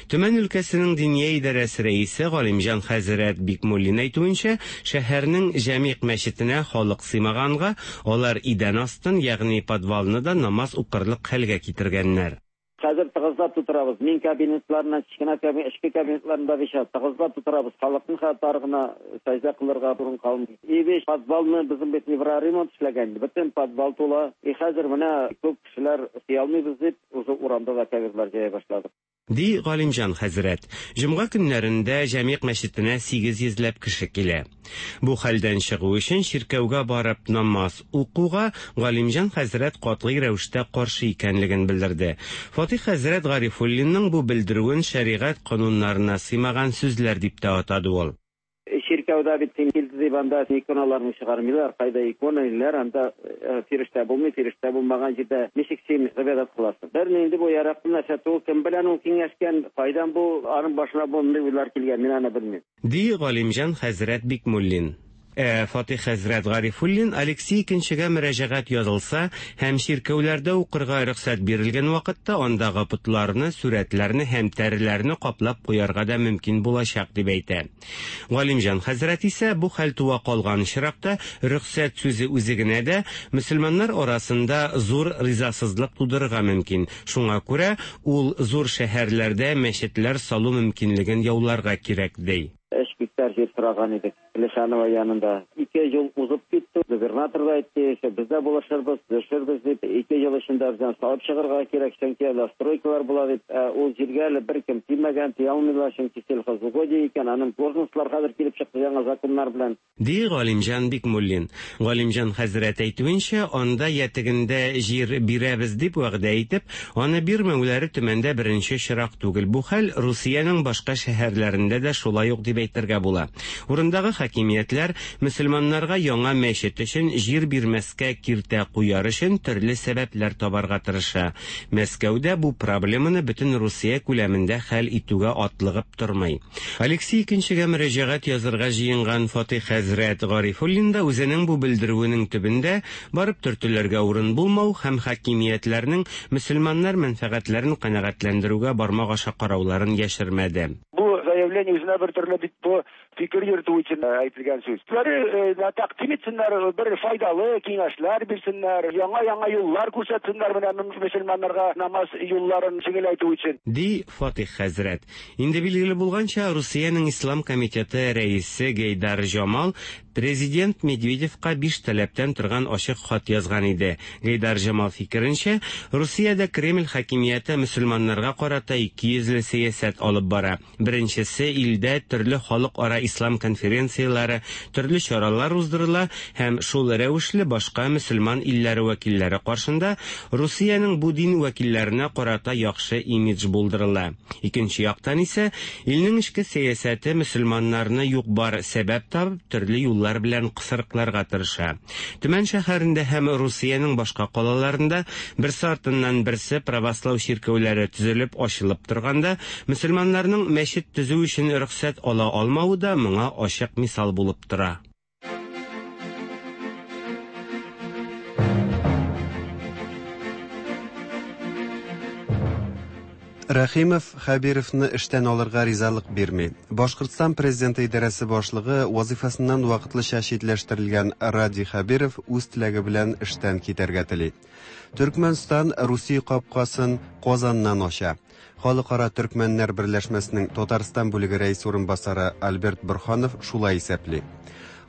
Төмән өлкәсенең диния идарәсе рәисе Галимҗан хәзрәт Бикмуллин әйтүенчә, шәһәрнең җәмигъ мәчетендә мәчетенә халык сыймаганга, алар идән астын, ягъни подвалны да намаз укырлык хәлгә китергәннәр. Хәзер тыгызлап тутырабыз. Мин кабинетларына, кечкенә кабинет, эчке кабинетларында бишә тыгызлап тутырабыз. Халыкның хәтта гына сәҗдә кылырга урын калмый. И биш подвалны безнең бит евроремонт эшләгән. Бөтен подвал тула. И хәзер менә күп кешеләр сыя алмыйбыз дип, уже урамда да кабинетлар җәя башладык. Ди Галимҗан хәзрәт. Җомга көннәрендә Җәмигъ мәчетенә сигез йөзләп кеше килә. Бу хәлдән чыгу өчен чиркәүгә барып намаз укуга Галимҗан хәзрәт катгый рәвештә каршы икәнлеген белдерде. Фатих хәзрәт Гарифуллинның бу белдерүен шәригать кануннарына сыймаган сүзләр дип тә атады ул. Чиркәүдә бит син килде дип анда иконаларны чыгармыйлар, кайда икона иләр, анда фирештә булмый, фирештә булмаган җирдә ничек син гыйбадәт кыласың? Бер инде бу яраклы нәрсә түгел, кем белән ул киңәшкән, кайдан бу аның башына мондый уйлар килгән, мин аны белмим. Ди Галимҗан хәзрәт Бикмуллин. Ә Фатих хәзрәт Гарифуллин Алексей икенчегә мөрәҗәгать язылса һәм чиркәүләрдә укырга рөхсәт бирелгән вакытта андагы потларны, сурәтләрне һәм тәреләрне каплап куярга да мөмкин булачак дип әйтә. Галимҗан хәзрәт исә бу хәл туа калган очракта рөхсәт сүзе үзе генә дә мөселманнар арасында зур ризасызлык тудырырга мөмкин. Шуңа күрә ул зур шәһәрләрдә мәчетләр салу мөмкинлеген яуларга кирәк ди. Өч гектар җир сораган идек Лешанова янында. Ике ел узып китте. Губернатор да әйтте, без дә булышырбыз, төшербез дип. Ике ел эчендә бездән салып чыгарга кирәк, чөнки әле стройкалар була дип. Ул җиргә әле беркем тимәгән, тия алмыйлар, чөнки сельхозугодие икән, аның должностьлар хәзер килеп чыкты яңа законнар белән. Ди Галимҗан Бикмуллин. Галимҗан хәзрәт әйтүенчә, анда я тегендә җир бирәбез дип вәгъдә итеп, аны бирмәүләре Төмәндә беренче чирак түгел. Бу хәл Русиянең башка шәһәрләрендә дә шулай ук дип әйтергә була. Урындагы хакимиятләр мөселманнарга яңа мәчет өчен җир бирмәскә киртә куяр өчен төрле сәбәпләр табарга тырыша. Мәскәүдә бу проблеманы бөтен Русия күләмендә хәл итүгә атлыгып тормый. Алексей икенчегә мөрәҗәгать язырга җыенган Фатих хәзрәт Гарифуллин да үзенең бу белдерүенең төбендә барып төртүләргә урын булмау һәм хакимиятләрнең мөселманнар мәнфәгатьләрен канәгатьләндерүгә бармак аша карауларын яшермәде. Бу заявление үзенә бер төрле бит бу фикер йөртү өчен әйтелгән сүз. Үзләре тәкъдим итсеннәр, бер файдалы киңәшләр бирсеннәр, яңа-яңа юллар күрсәтсеннәр менә мөселманнарга намаз юлларын җиңеләйтү өчен. Ди Фатих хәзрәт. Инде билгеле булганча, Русиянең Ислам комитеты рәисе Гейдар Җамал президент Медведевка биш таләптән торган ачык хат язган иде. Гейдар Җамал фикеренчә, Русиядә Кремль хакимияте мөселманнарга карата ике йөзле сәясәт алып бара. Беренчесе, илдә төрле халыкара ислам конференцияләре, төрле чаралар уздырыла һәм шул рәвешле башка мөселман илләре вәкилләре каршында Русиянең бу дин вәкилләренә карата яхшы имидж булдырыла. Икенче яктан исә, илнең эчке сәясәте мөселманнарны юк-бар сәбәп табып төрле юллар белән кысрыкларга тырыша. Төмән шәһәрендә һәм Русиянең башка калаларында берсе артыннан берсе православ чиркәүләре төзелеп ачылып торганда, мөселманнарның мәчет төзү өчен рөхсәт ала алмавы да моңа ачык мисал булып тора. Рәхимов Хәбировны эштән алырга ризалык бирми. Башкортстан президенты идарәсе башлыгы вазифасыннан вакытлыча читләштерелгән Радий Хәбиров үз теләге белән эштән китәргә тели. Төркмәнстан Русия капкасын Казаннан ача. Халыкара Төркмәннәр берләшмәсенең Татарстан бүлеге рәисе урынбасары Альберт Бурханов шулай исәпли.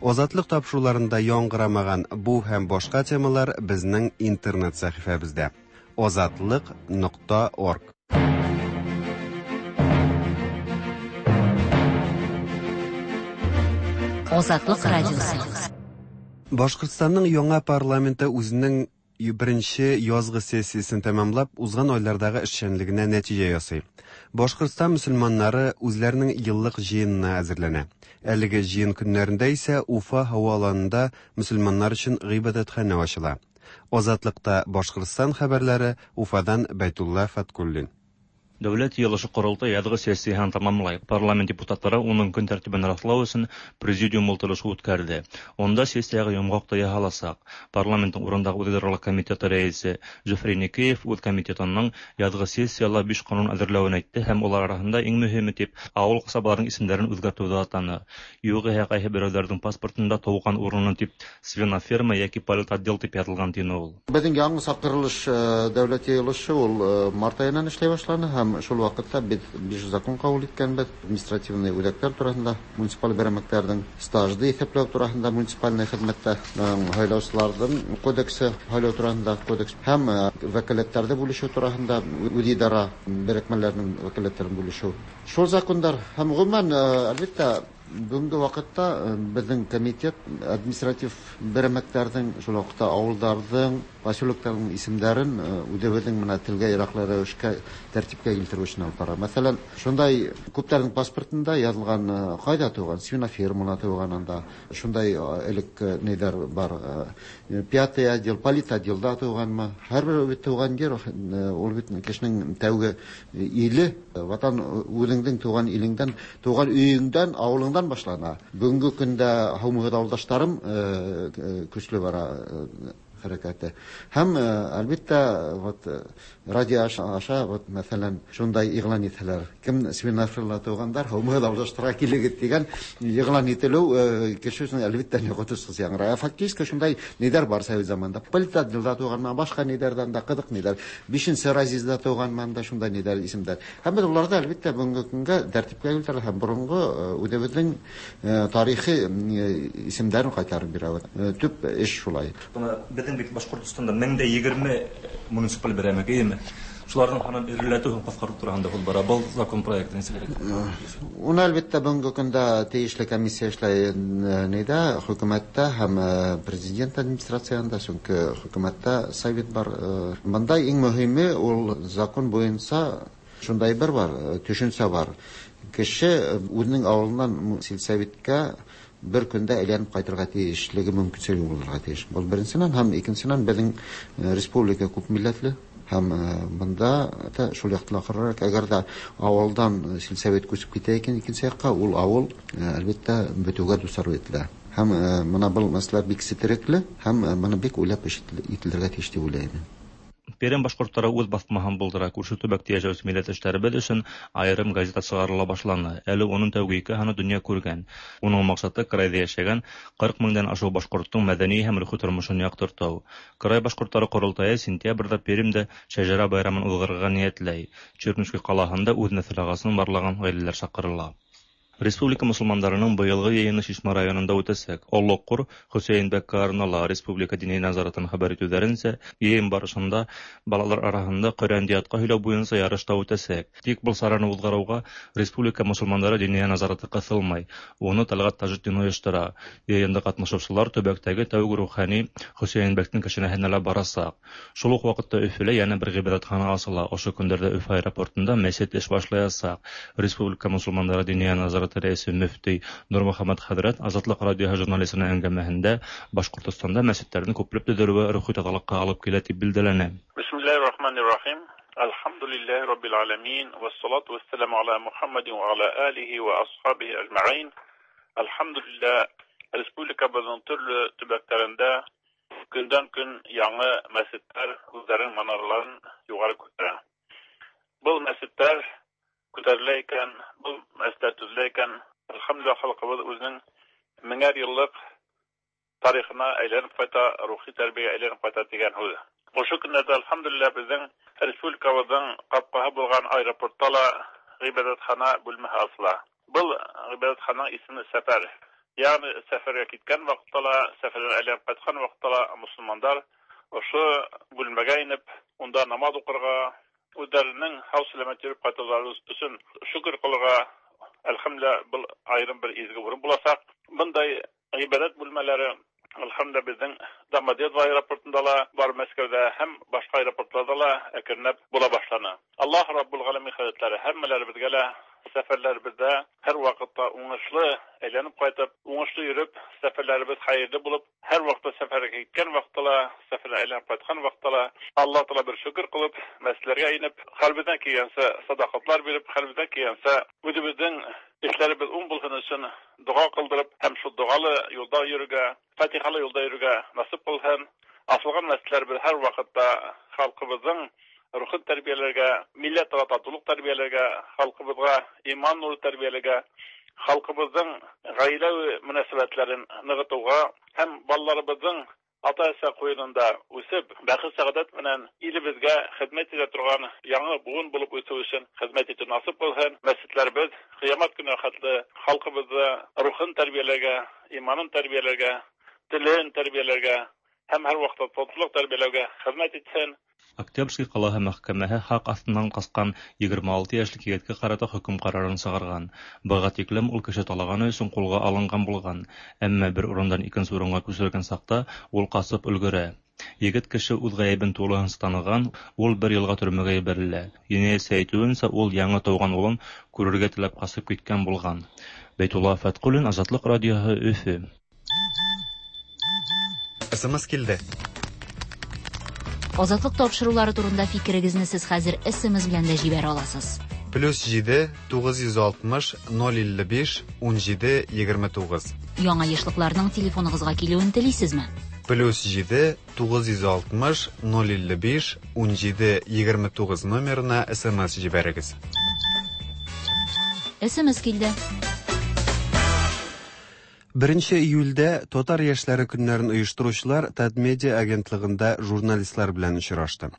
Азатлык тапшыруларында яңгырамаган бу һәм башка темалар безнең интернет сәхифәбездә. азатлык нокта орг. Азатлык радиосы. Башкортстанның яңа парламенты үзенең беренче язгы сессиясен тәмамлап, узган айлардагы эшчәнлегенә нәтиҗә ясый. Башкортстан мөселманнары үзләренең еллык җыенына әзерләнә. Әлеге җыен көннәрендә исә Уфа һава аланында мөселманнар өчен гыйбадәтханә ачыла. Азатлыкта Башкортстан хәбәрләре Уфадан Бәйтулла Фаткуллин. Дәүләт йыйылышы Ҡоролтай яҙғы сессияһын тамамлай. Парламент депутаттары уның көн тәртибен раҫлау өсөн президиум ултырышы үткәрҙе. Унда сессияға йомғаҡ та яһаласаҡ. Парламенттың урындағы үҙидаралыҡ комитеты рәйесе Зөфәр Еникеев үҙ комитетының яҙғы сессияла биш ҡанун әҙерләүен әйтте һәм улар араһында иң мөһиме тип ауыл ҡасабаларының исемдәрен үҙгәртеүҙе атаны. Юғиһә ҡайһы берәүҙәрҙең паспортында тыуған урыны тип свиноферма йәки политотдел тип яҙылған, тине ул. Беҙҙең яңы саҡырылыш дәүләт йыйылышы ул март айынан эшләй башланы һәм шул ваҡытта беҙ биш закон ҡабул иткәнбеҙ. Административный үҙәктәр тураһында, муниципаль берәмектәрҙең стажды иҫәпләү тураһында, муниципальный хеҙмәттә һайлаусыларҙың кодексы, һайлау тураһында кодекс һәм вәкәләттәрҙе бүлешеү тураһында, үҙидара берекмәләренең вәкәләттәрен бүлешеү. Шул закондар һәм ғөмүмән, әлбиттә, бөгөнгө ваҡытта беҙҙең комитет административ берәмектәрҙең, шул ваҡытта ауылдарҙың, поселоктарҙың исемдәрен үҙебеҙҙең менән телгә яраҡлы рәүешкә тәртипкә килтереү эшен алып бара. Мәҫәлән, шундай күптәрҙең паспортында яҙылған ҡайҙа тыуған, свинофермала тыуған, анда шундай элек нейҙәр бар, пятый отдел, политотделда тыуғанмы. Һәр бер бит тыуған ер, ул бит кешенең тәүге иле, ватан үҙеңдең тыуған илеңдән, тыуған өйөңдән, ауылыңдан башлана. Бөгөнгө көндә һаумыһыҙ ауылдаштарым көслө бара хәрәкәте. Һәм әлбиттә, вот радио аша, вот мәҫәлән, шундай иғлан итәләр. Кем свинофермала тыуғандар, һаумыһыҙ ауылдаштарға килегеҙ тигән иғлан ителеү кеше өсөн әлбиттә ҡотосһоҙ яңғырай. Фактически шундай нейҙәр бар совет заманында. Политотделда тыуғанмы, башҡа нейҙәрҙән дә ҡыҙыҡ нейҙәр. Бишенсе разъезда тыуғанмы, да шундай нейҙәр исемдәр. Һәм беҙ уларҙы әлбиттә бөгөнгө көнгә тәртипкә килтерә һәм боронғо үҙебеҙҙең тарихи исемдәрен ҡайтарып бирәбеҙ. Төп эш шулай. Беҙҙең бит Башҡортостанда мең дә егерме муниципаль берәмек, эйеме? Шуларҙың һанын эреләтеү һәм ҡыҫҡартыу тураһында һүҙ бара. Был закон проекты нисек? Уны әлбиттә бөгөнгө көндә тейешле комиссия эшләй нейҙә, хөкүмәттә һәм президент администрацияһында, сөнки хөкүмәттә совет бар. Бында иң мөһиме ул закон буйынса шундай бер бар, төшөнсә бар. Кеше үҙенең ауылынан сельсоветкә бер көндә әйләнеп ҡайтырға тейешлеге мөмкинселеге булырға тейеш. Был беренсенән һәм икенсенән беҙҙең республика күп милләтле һәм бында та шул яҡты ла ҡарарға, әгәр ҙә ауылдан сельсовет күсеп китә икән икенсе яҡҡа, ул ауыл әлбиттә бөтөүгә дусар ителә. Һәм бына был мәсьәлә бик сетерекле һәм быны бик уйлап эш ителергә тейеш тип уйлайым. Пермь башҡорттары үҙ баҫмаһын булдыра. Күрше төбәктә йәшәүсе милләттәштәребеҙ өсөн айырым газета сығарыла башланы. Әле уның тәүге ике һаны донъя күргән. Уның маҡсаты крайҙа йәшәгән ҡырҡ меңдән ашыу башҡорттоң мәҙәни һәм рухи тормошон яҡтыртыу. Край башҡорттары ҡоролтайы сентябрҙә Пермдә шәжәрә байрамын уҙғарырға ниәтләй. Чернушка ҡалаһында үҙ нәҫел ағасын барлаған ғаиләләр саҡырыла. Республика мосолмандарының быйылғы йыйыны Шишмә районында үтәсәк. Олоҡҡор Хөсәйен бәк Карнала Республика Дини назаратын хәбәр итеүҙәренсә, йыйын барышында балалар араһында Ҡөрьәнде ятҡа һөйләү буйынса ярыш та үтәсәк. Тик был сараны уҙғарыуға Республика мосолмандары Диния назараты ҡыҫылмай. Уны Тәлғәт Тажетдин ойоштора. Йыйында ҡатнашыусылар төбәктәге тәүге рухани Хөсәйен бәктең кәшәнәһенә лә барасаҡ. Шул уҡ ваҡытта Өфөлә йәнә бер ғибәҙәтхана асыла. Ошо көндәрҙә Өфө аэропортында мәсет эш башлаясаҡ. Республика мосолмандары Диния назараты рәйесе мөфти Нурмөхәммәт хәҙрәт Азатлыҡ радиоһы журналисының әңгәмәһендә Башҡортостанда мәсеттәрҙең күпләп төҙөлөүе рухи таҙалыҡҡа алып килә тип билдәләне. Бисмиллаһир-рахманир-рахим. Әлхәмдүлиллаһи раббил аламин вассалату вассаламу аля Мухаммадин ва аля алихи ва асхабихи әжмәғин. Әлхәмдүлиллаһ, республикабыҙҙың төрлө төбәктәрендә көндән көн яңы мәсеттәр үҙҙәренең манараларын юғары күтәрә. Был мәсеттәр күтәрелә икән, был мәсеттәр төҙөлә икән, әлхәмдүлилләһ, халҡыбыҙ үҙенең меңәр йыллыҡ тарихына әйләнеп ҡайта, рухи тәрбиәгә әйләнеп ҡайта тигән һүҙ. Ошо көндәрҙә әлхәмдүлилләһ беҙҙең республикабыҙҙың ҡапҡаһы булған аэропортта ла ғибәҙәтхана бүлмәһе асыла. Был ғибәҙәтхананың исеме Сәфәр. Ягъни сәфәргә киткән ваҡытта ла, сәфәрҙән әйләнеп ҡайтҡан ваҡытта ла мосолмандар ошо бүлмәгә инеп, унда намаҙ уҡырға, үҙҙәренең һау сәләмәт йөрөп ҡайтыуҙары өсөн шөкөр ҡылырға, әлхәмдүлилләһ, был айырым бер изге урын буласаҡ. Бындай ғибәҙәт бүлмәләре әлхәмдүлилләһ беҙҙең Домодедово аэропортында ла бар, Мәскәүҙә һәм башҡа аэропорттарҙа ла әкренләп була башланы. Аллаһ Раббул Ғаләмин хәҙрәтләре һәммәләребеҙгә лә Сәфәрләребездә һәр вакытта уңышлы әйләнеп кайтып, уңышлы йөреп, сәфәрләребез хәерле булып, һәр вакытта сәфәргә киткән вакытта ла, сәфәрдән әйләнеп кайткан вакытта ла, Аллаһ Тәгалә бер шөкер кылып, мәсьәләләргә инеп, хәлбездән килгәнчә садакатлар биреп, хәлбездән килгәнчә үзебезнең эшләребез уң булсын өчен дога кылдырып, һәм шул догалы юлда йөрергә, фатихалы юлда йөрергә насыйп кылсын. Асылган мәсьәләләребез һәр вакытта халкыбызның рухын тәрбияләргә, милләт татулык тәрбияләргә, халкыбызга иман нуры тәрбияләргә, халкыбызның гаилә мөнәсәбәтләрен ныгытуга һәм балаларыбызның ата-әсә куенында үсеп, бәхет сәгадәт белән илебезгә хезмәт итә торган яңа буын булып үсү өчен хезмәт итү насыйп кылсын. Мәчетләребез кыямәт көненә хәтле халкыбызны рухын тәрбияләргә, иманын тәрбияләргә, телен тәрбияләргә һәм һәр вакытта татулык тәрбияләүгә хезмәт итсен. Октябрьский ҡалаһы мәхкәмәһе хаҡ аҫтынан ҡасҡан егерме алты йәшлек егеткә ҡарата хөкөм ҡарарын сығарған. Быға тиклем ул кеше талағаны өсөн ҡулға алынған булған, әммә бер урындан икенсе урынға күсерелгән саҡта ул ҡасып өлгөрә. Егет кеше үҙ ғәйебен тулыһынса таныған, ул бер йылға төрмәгә ебәрелә. Енәйәтсе әйтеүенсә, ул яңы тыуған улын күрергә теләп ҡасып киткән булған. Бәйтулла Фәтҡуллин, Азатлыҡ радиоһы, Өфө. СМС килде. Азатлык тапшырулары турында фикерегезне сез хәзер СМС белән дә җибәрә аласыз. Плюс җиде тугыз йөз алтмыш ноль илле биш ун җиде егерме тугыз. Яңа ешлыкларның телефоныгызга килүен телисезме? Плюс җиде тугыз йөз алтмыш ноль илле биш ун җиде егерме тугыз номерына СМС җибәрегез. СМС килде. Беренче июльдә Татар яшьләре көннәрен оештыручылар Татмедиа агентлыгында журналистлар белән очрашты.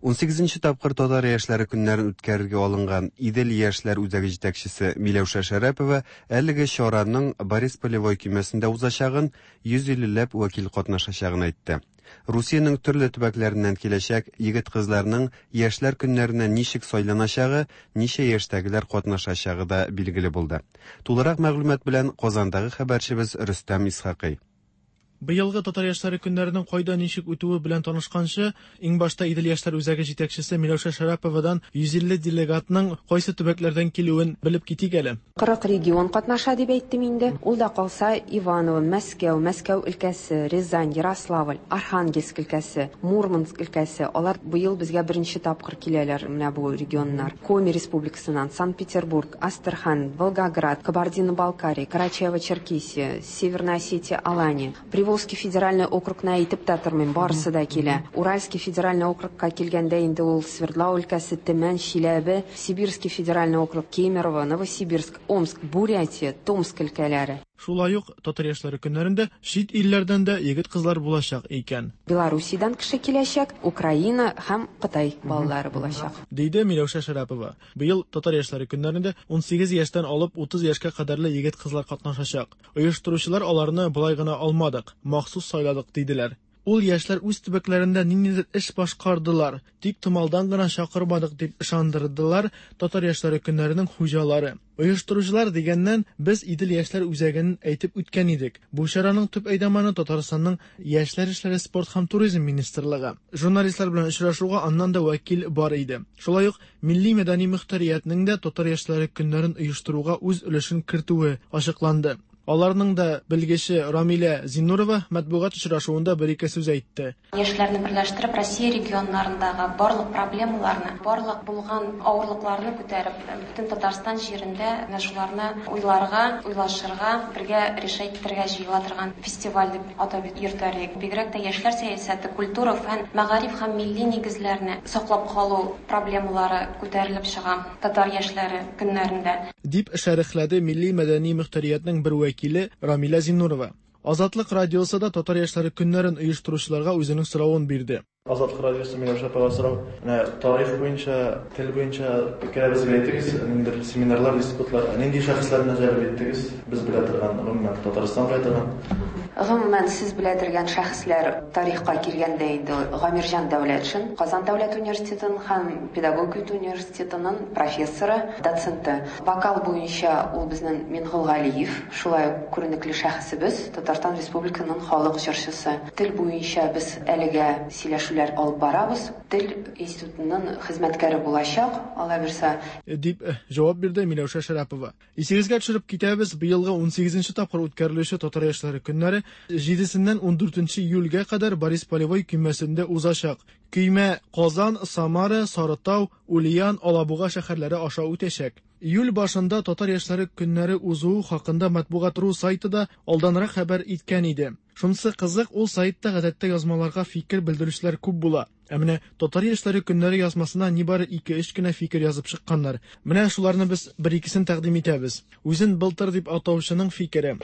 Ун сигезенче тапкыр Татар яшьләре көннәрен үткәрергә алынган Идел яшьләр үзәге җитәкчесе Миләүшә Шәрәпова әлеге чараның Борис Полевой көймәсендә узачагын, йөз иллеләп вәкил катнашачагын әйтте. Русиянең төрле төбәкләреннән киләчәк егет-кызларның яшьләр көннәренә ничек сайланачагы, ничә яшьтәгеләр катнашачагы да билгеле булды. Тулырак мәгълүмат белән Казандагы хәбәрчебез Рөстәм Исхакый. Быелгы Татар яшьләре көннәренең кайда ничек үтүе белән танышканчы, иң башта Идел яшьләр үзәге җитәкчесе Миләүшә Шәрәповадан йөз илле делегатның кайсы төбәкләрдән килүен белеп китик әле. Кырык регион катнаша дип әйттем инде. Ул да калса Иваново, Мәскәү, Мәскәү өлкәсе, Рязань, Ярославль, Архангельск өлкәсе, Мурманск өлкәсе. Алар быел безгә беренче тапкыр киләләр менә бу регионнар. Коми республикасыннан, Санкт-Петербург, Астрахань, Волгоград, Кабардино-Балкария, Карачаево-Черкесия, Северная Осетия, Алания. Приволжский федеральный округны әйтеп тә тормыйм, барысы да килә. Уральский федеральный округка килгәндә инде ул Свердлау өлкәсе, Төмән, Чиләбе, Сибирский федеральный округ, Кемерово, Новосибирск, Омск, Бурятия, Томск өлкәләре. Шулай ук Татар яшьләре көннәрендә чит илләрдән дә егет-кызлар булачак икән. Белоруссиядән кеше киләчәк, Украина һәм Кытай балалары булачак, диде Миләүшә Шәрәпова. Быел Татар яшьләре көннәрендә ун сигез яшьтән алып утыз яшькә кадәрле егет-кызлар катнашачак. Оештыручылар аларны болай гына алмадык, махсус сайладык диделәр. Ул яшьләр үз төбәкләрендә ниндидер эш башкардылар, тик томалдан гына чакырмадык дип ышандырдылар Татар яшьләре көннәренең хуҗалары. Оештыручылар дигәннән без Идел яшьләр үзәген әйтеп үткән идек. Бу чараның төп әйдаманы Татарстанның Яшьләр эшләре, спорт һәм туризм министрлыгы. Журналистлар белән очрашуга аннан да вәкил бар иде. Шулай ук милли мәдәни мөхтәриятнең дә Татар яшьләре көннәрен оештыруга үз өлешен кертүе ачыкланды. Аларның да белгече Рамилә Зиннурова матбугат очрашуында бер-ике сүз әйтте. Яшьләрне берләштереп, Россия регионнарындагы барлык проблемаларны, барлык булган авырлыкларны күтәреп, бөтен Татарстан җирендә менә шуларны уйларга, уйлашырга, бергә решать итәргә җыела торган фестиваль дип атап йөртәр идек. Бигрәк тә яшьләр сәясәте, культура, фән, мәгариф һәм милли нигезләрне саклап калу проблемалары күтәрелеп чыга татар яшьләре көннәрендә, дип шәрехләде милли мәдәни мөхтәриятнең бер вәкиле Рамилә Зиннурова. Азатлык радиосы да Татар яшьләре көннәрен оештыручыларга үзенең соравын бирде. Азатлык радиосы Миләүшә апага сорау. Менә тарих буенча, тел буенча фикерегезне әйтегез, ниндидер семинарлар, диспутлар, нинди шәхесләрне җәлеп иттегез? Без белә торган, гомумән Татарстан белә торган. Гомумән сез белә торган шәхесләр тарихка килгәндә инде Гамирҗан Дәүләтшин, Казан дәүләт университетының һәм педагогика университетының профессоры, доценты. Вокал буенча ул безнең Мингол Галиев, шулай ук күренекле шәхесебез, Татарстан Республикасының халык җырчысы. Тел буенча без әлегә сөйләшү Сөйләшүләр алып барабыз. Тел институтының хезмәткәре булачак, Алла бирсә. Дип җавап бирде Миләүшә Шәрәпова. Исегезгә төшереп китәбез, быелгы унсигезенче тапкыр үткәрелүче Татар яшьләре көннәре җидесеннән ундүртенче июльгә кадәр Борис Полевой көймәсендә узачак. Көймә Казан, Самара, Сарытау, Ульян, Алабуга шәһәрләре аша үтәчәк. Июль башында Татар яшьләре көннәре узуы хакында матбугат ру сайты да алданрак хәбәр иткән иде. Шунысы кызык, ул сайтта гадәттә язмаларга фикер белдерүчеләр күп була. Ә менә Татар яшьләре көннәре язмасына нибары ике-өч кенә фикер язып чыкканнар. Менә шуларны без бер-икесен тәкъдим итәбез. Үзен былтыр дип атаучының фикере.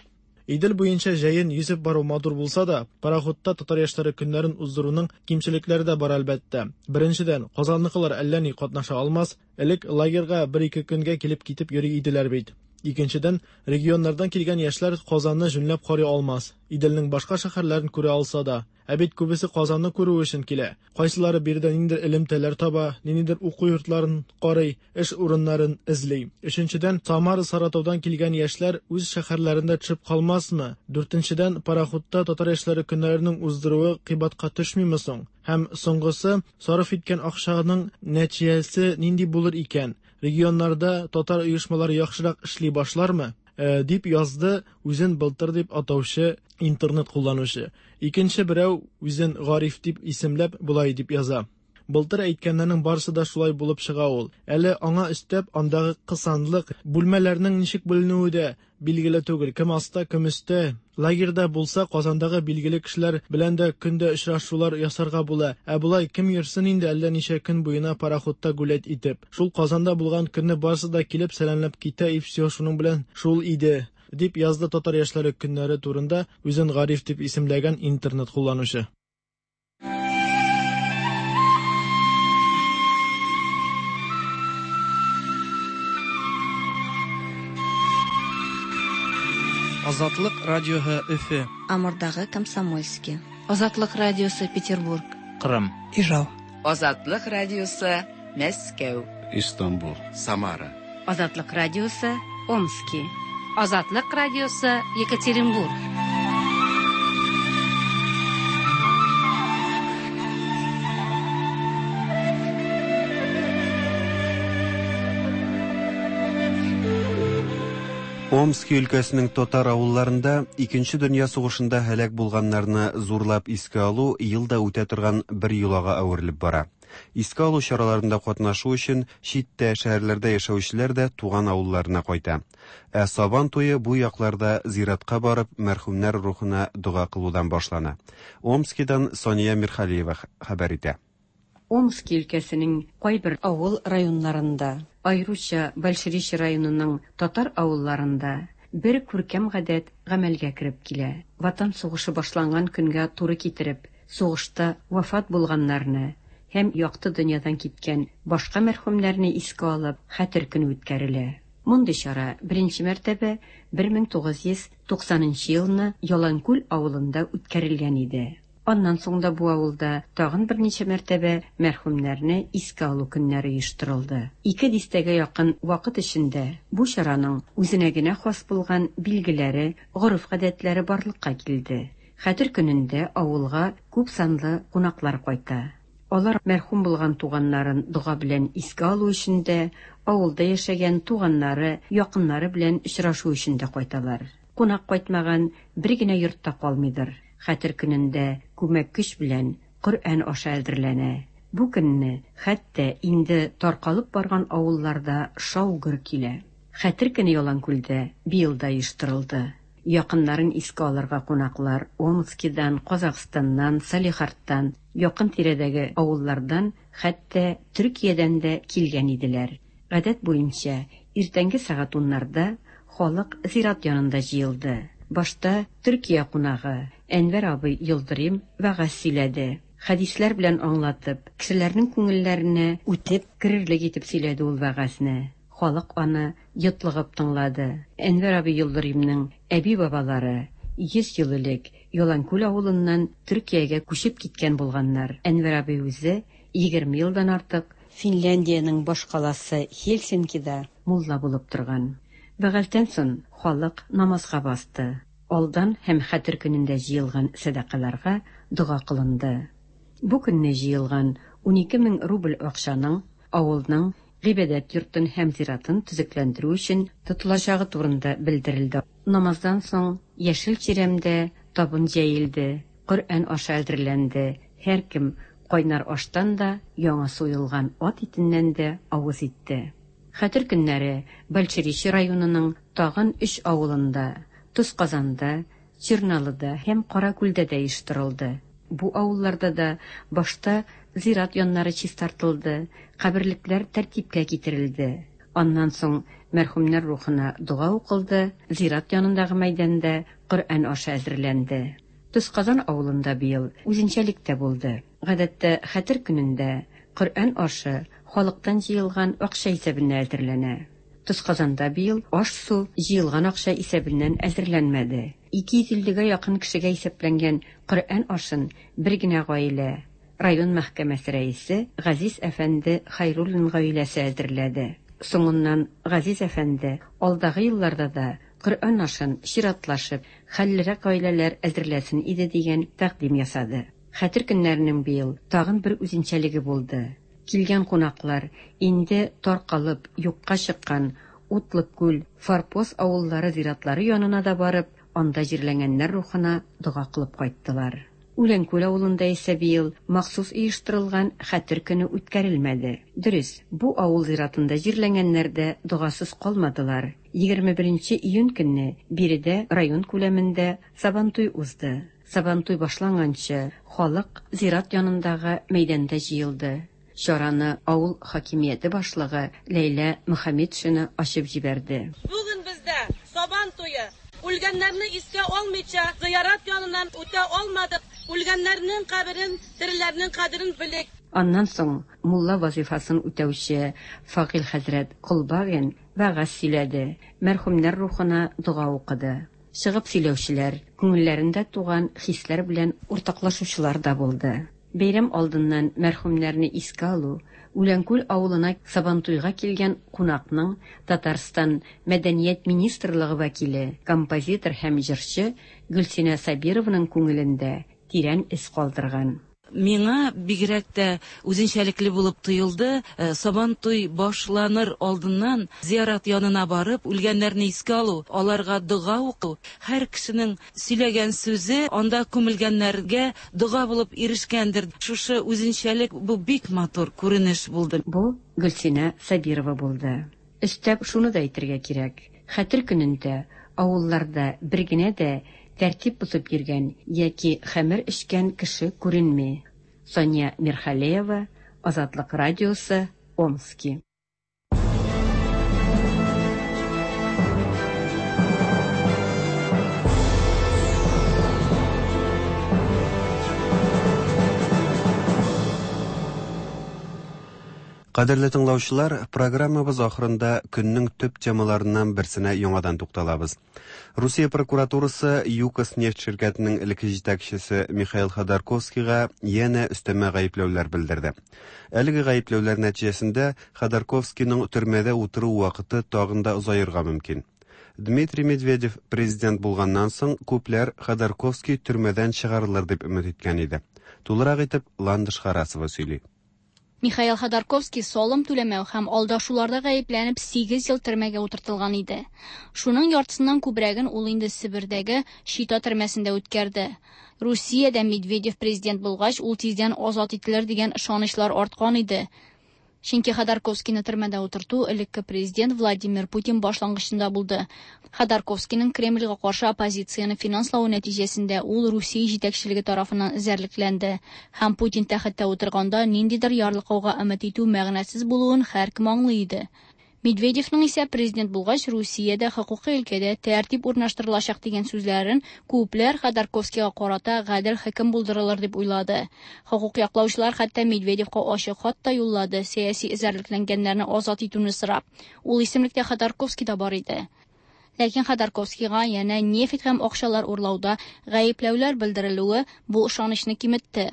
Идел буенча җәен йөзеп бару матур булса да, пароходта татар яшьләре көннәрен уздыруның кимчелекләре дә бар әлбәттә. Беренчедән, Казанныкылар әллә ни катнаша алмас, элек лагерьга бер-ике көнгә килеп китеп йөри иделәр бит. Икенчедән, регионнардан килгән яшьләр Казанны җүнләп карый алмас, Иделнең башка шәһәрләрен күрә алса да. Ә бит күбесе Казанны күрү өчен килә. Кайсылары биредә ниндидер элемтәләр таба, ниндидер уку йортларын карый, эш урыннарын эзли. Өченчедән, Самара, Саратаудан килгән яшьләр үз шәһәрләрендә төшеп калмасмы? Дүртенчедән, пароходта татар яшьләре көннәренең уздыруы кыйбатка төшмиме соң? Һәм соңгысы, сарыф иткән акчаның нәтиҗәсе нинди булыр икән? Регионнарда татар оешмалары яхшырак эшли башлармы? Дип язды үзен былтыр дип атаучы интернет кулланучы. Икенче берәү үзен Гариф дип исемләп болай дип яза. Былтыр әйткәннәрнең барысы да шулай булып чыга ул. Әле аңа өстәп андагы кысанлык, бүлмәләрнең ничек бүленүе дә билгеле түгел. Кем аста, кем өстә. Лагерьда булса, Казандагы билгеле кешеләр белән дә көндә очрашулар ясарга була. Ә болай кем йөрсен инде әллә ничә көн буена пароходта гулять итеп. Шул Казанда булган көнне барысы да килеп сәламләп китә, и все, шуның белән шул иде, дип язды татар яшьләре көннәре турында үзен Гариф дип исемләгән интернет кулланучы. Азатлык радиоһы Өфе. Амурдагы Комсомольский. Азатлык радиосы Петербург. Кырым. Ижау. Азатлык радиосы Мәскәү. Истанбул. Самара. Азатлык радиосы Омски. Азатлык радиосы Екатеринбург. Омски өлкәсенең татар авылларында Икенче дөнья сугышында һәлак булганнарны зурлап искә алу елда үтә торган бер йолага әверелеп бара. Искә алу чараларында катнашу өчен читтә шәһәрләрдә яшәүчеләр дә туган авылларына кайта. Ә Сабан туе бу якларда зиратка барып мәрхүмнәр рухына дога кылудан башлана. Омскидан Сания Мирхалиева хәбәр итә. Омски өлкәсенең кайбер авыл районнарында, аеруча Большеречье районының татар авылларында бер күркәм гадәт гамәлгә кереп килә. Ватан сугышы башланган көнгә туры китереп, сугышта вафат булганнарны һәм якты дөньядан киткән башка мәрхүмнәрне искә алып, хәтер көне үткәрелә. Мондый чара беренче мәртәбә бер мең тугыз йөз туксанынчы елны Яланкүл авылында үткәрелгән иде. Аннан соң да бу авылда тагын берничә мәртәбә мәрхүмнәрне искә алу көннәре оештырылды. Ике дистәгә якын вакыт эчендә бу чараның үзенә генә хас булган билгеләре, гореф-гадәтләре барлыкка килде. Хәтер көнендә авылга күп санлы кунаклар кайта. Алар мәрхүм булган туганнарын дога белән искә алу өчен дә, авылда яшәгән туганнары, якыннары белән очрашу өчен дә кайталар. Кунак кайтмаган бер генә йортта калмыйдыр. Хәтер көнендә күмәк көч белән Коръән аша әзерләнә. Бу көнне хәтта инде таркалып барган авылларда шау-гөр килә. Хәтер көне Яланкүлдә быел да оештырылды. Якыннарын искә алырга кунаклар Омскидан, Казахстаннан, Салехардтан, якын тирәдәге авыллардан, хәтта Төркиядән дә килгән иделәр. Гадәт буенча иртәнге сәгать уннарда халык зират янында җыелды. Башта Төркия кунагы Әнвәр абый Йылдырым вәгазь сөйләде. Хәдисләр белән аңлатып, кешеләрнең күңелләренә үтеп керерлек итеп сөйләде ул вәгазьне. Халык аны йотлыгып тыңлады. Әнвәр абый Йылдырымның әби-бабалары йөз ел элек Яланкүл авылыннан Төркиягә күчеп киткән булганнар. Әнвәр абый үзе егерме елдан артык Финляндиянең башкаласы Хельсинкида мулла булып торган. Вәгазьдән соң халык намазга басты. Алдан һәм хәтер көнендә җыелган сәдакаларга дога кылынды. Бу көнне җыелган унике мең рубль акчаның авылның гыйбадәт йортын һәм зиратын төзекләндерү өчен тотылачагы турында белдерелде. Намаздан соң яшел чирәмдә табын җәелде, Коръән ашы әзерләнде. Һәркем кайнар аштан да, яңа суелган ат итеннән дә авыз итте. Хәтер көннәре Большеречье районының тагын өч авылында, Тозказанда, Черналыда һәм Каракүлдә дә оештырылды. Бу авылларда да башта зират яннары чистартылды, каберлекләр тәртипкә китерелде. Аннан соң мәрхүмнәр рухына дога укылды, зират янындагы мәйданда Коръән ашы әзерләнде. Тозказан авылында быел үзенчәлек тә булды. Гадәттә хәтер көнендә Коръән ашы халыктан җыелган акча исәбенә әзерләнә. Тозказанда быел аш-су җыелган акча исәбеннән әзерләнмәде. Ике йөз иллегә якын кешегә исәпләнгән Коръән ашын бер генә гаилә, район мәхкәмәсе рәисе Газиз әфәнде Хайруллин гаиләсе әзерләде. Соңыннан Газиз әфәнде алдагы елларда да Коръән ашын чиратлашып, хәллерәк гаиләләр әзерләсен иде дигән тәкъдим ясады. Хәтер көннәренең быел тагын бер үзенчәлеге булды. Килгән кунаклар инде таркалып юкка чыккан Утлыкүл, Форпост авыллары зиратлары янына да барып, анда җирләнгәннәр рухына дога кылып кайттылар. Үләнкүл авылында исә быел махсус оештырылган хәтер көне үткәрелмәде. Дөрес, бу авыл зиратында җирләнгәннәр дә догасыз калмадылар. Егерме беренче июнь көнне биредә район күләмендә Сабантуй узды. Сабантуй башланганчы халык зират янындагы мәйданда җыелды. Чараны авыл хакимияте башлыгы Ләйлә Мөхәммәтшина ачып җибәрде. Бүген бездә Сабан туе. Үлгәннәрне искә алмыйча зыярат яныннан үтә алмадык. Үлгәннәрнең каберен, тереләрнең кадерен белик. Аннан соң мулла вазифасын үтәүче Факил хәзрәт Колбагин вәгазь сөйләде, мәрхүмнәр рухына дога укыды. Чыгып сөйләүчеләр, күңелләрендә туган хисләр белән уртаклашучылар да булды. Бәйрәм алдыннан мәрхүмнәрне искә алу, Үләнкүл авылына Сабантуйга килгән кунакның Татарстан Мәдәният министрлыгы вәкиле, композитор һәм җырчы Гөлсинә Сабированың күңелендә тирән эз калдырган. Миңа бигрәк тә үзенчәлекле булып тоелды. Сабантуй башланыр алдыннан зиярат янына барып, үлгәннәрне искә алу, аларга дога уку, һәр кешенең сөйләгән сүзе анда күмелгәннәргә дога булып ирешкәндер. Шушы үзенчәлек бу бик матур күренеш булды. Бу Гөлсинә Сабирова булды. Өстәп шуны да әйтергә кирәк. Хәтер көнендә авылларда бер генә дә тәртип бозып йөргән яки хәмер эчкән кеше күренми. Соня Мирхалеева, Азатлык радиосы, Омски. Кадерле тыңлаучылар, программабыз ахырында көннең төп темаларыннан берсенә яңадан тукталабыз. Русия прокуратурасы ЮКОС нефть ширкәтенең элекке җитәкчесе Михаил Ходорковскийга янә өстәмә гаепләүләр белдерде. Әлеге гаепләүләр нәтиҗәсендә Ходорковскийның төрмәдә утыру вакыты тагын да озаерга мөмкин. Дмитрий Медведев президент булганнан соң күпләр Ходорковский төрмәдән чыгарылыр дип өмет иткән иде. Тулырак итеп Ландыш Харасова сөйли. Михаил Ходорковский салым түләмәү һәм алдашуларда гаепләнеп сигез ел төрмәгә утыртылган иде. Шуның яртысыннан күбрәген ул инде Себердәге Чита төрмәсендә үткәрде. Русиядә Медведев президент булгач, ул тиздән азат ителер дигән ышанычлар арткан иде. Чөнки Ходорковскийны төрмәдә утырту элекке президент Владимир Путин башлангычында булды. Ходорковскийның Кремльгә каршы оппозицияне финанславы нәтиҗәсендә ул Русия җитәкчелеге тарафыннан эзәрлекләнде. Һәм Путин тәхеттә утырганда ниндидер ярлыкауга өмет итү мәгънәсез булуын һәркем аңлый иде. Медведевның исә президент булгач Русиядә хокукый өлкәдә тәртип урнаштырылачак дигән сүзләрен күпләр Ходорковскийга карата гадел хөкем булдырылыр дип уйлады. Хокук яклаучылар хәтта Медведевка ачык хат та юллады, сәяси эзәрлекләнгәннәрне азат итүне сорап. Ул исемлектә Ходорковский да бар иде. Ләкин Ходорковскийга янә нефть һәм акчалар урлауда гаепләүләр белдерелүе бу ышанычны киметте.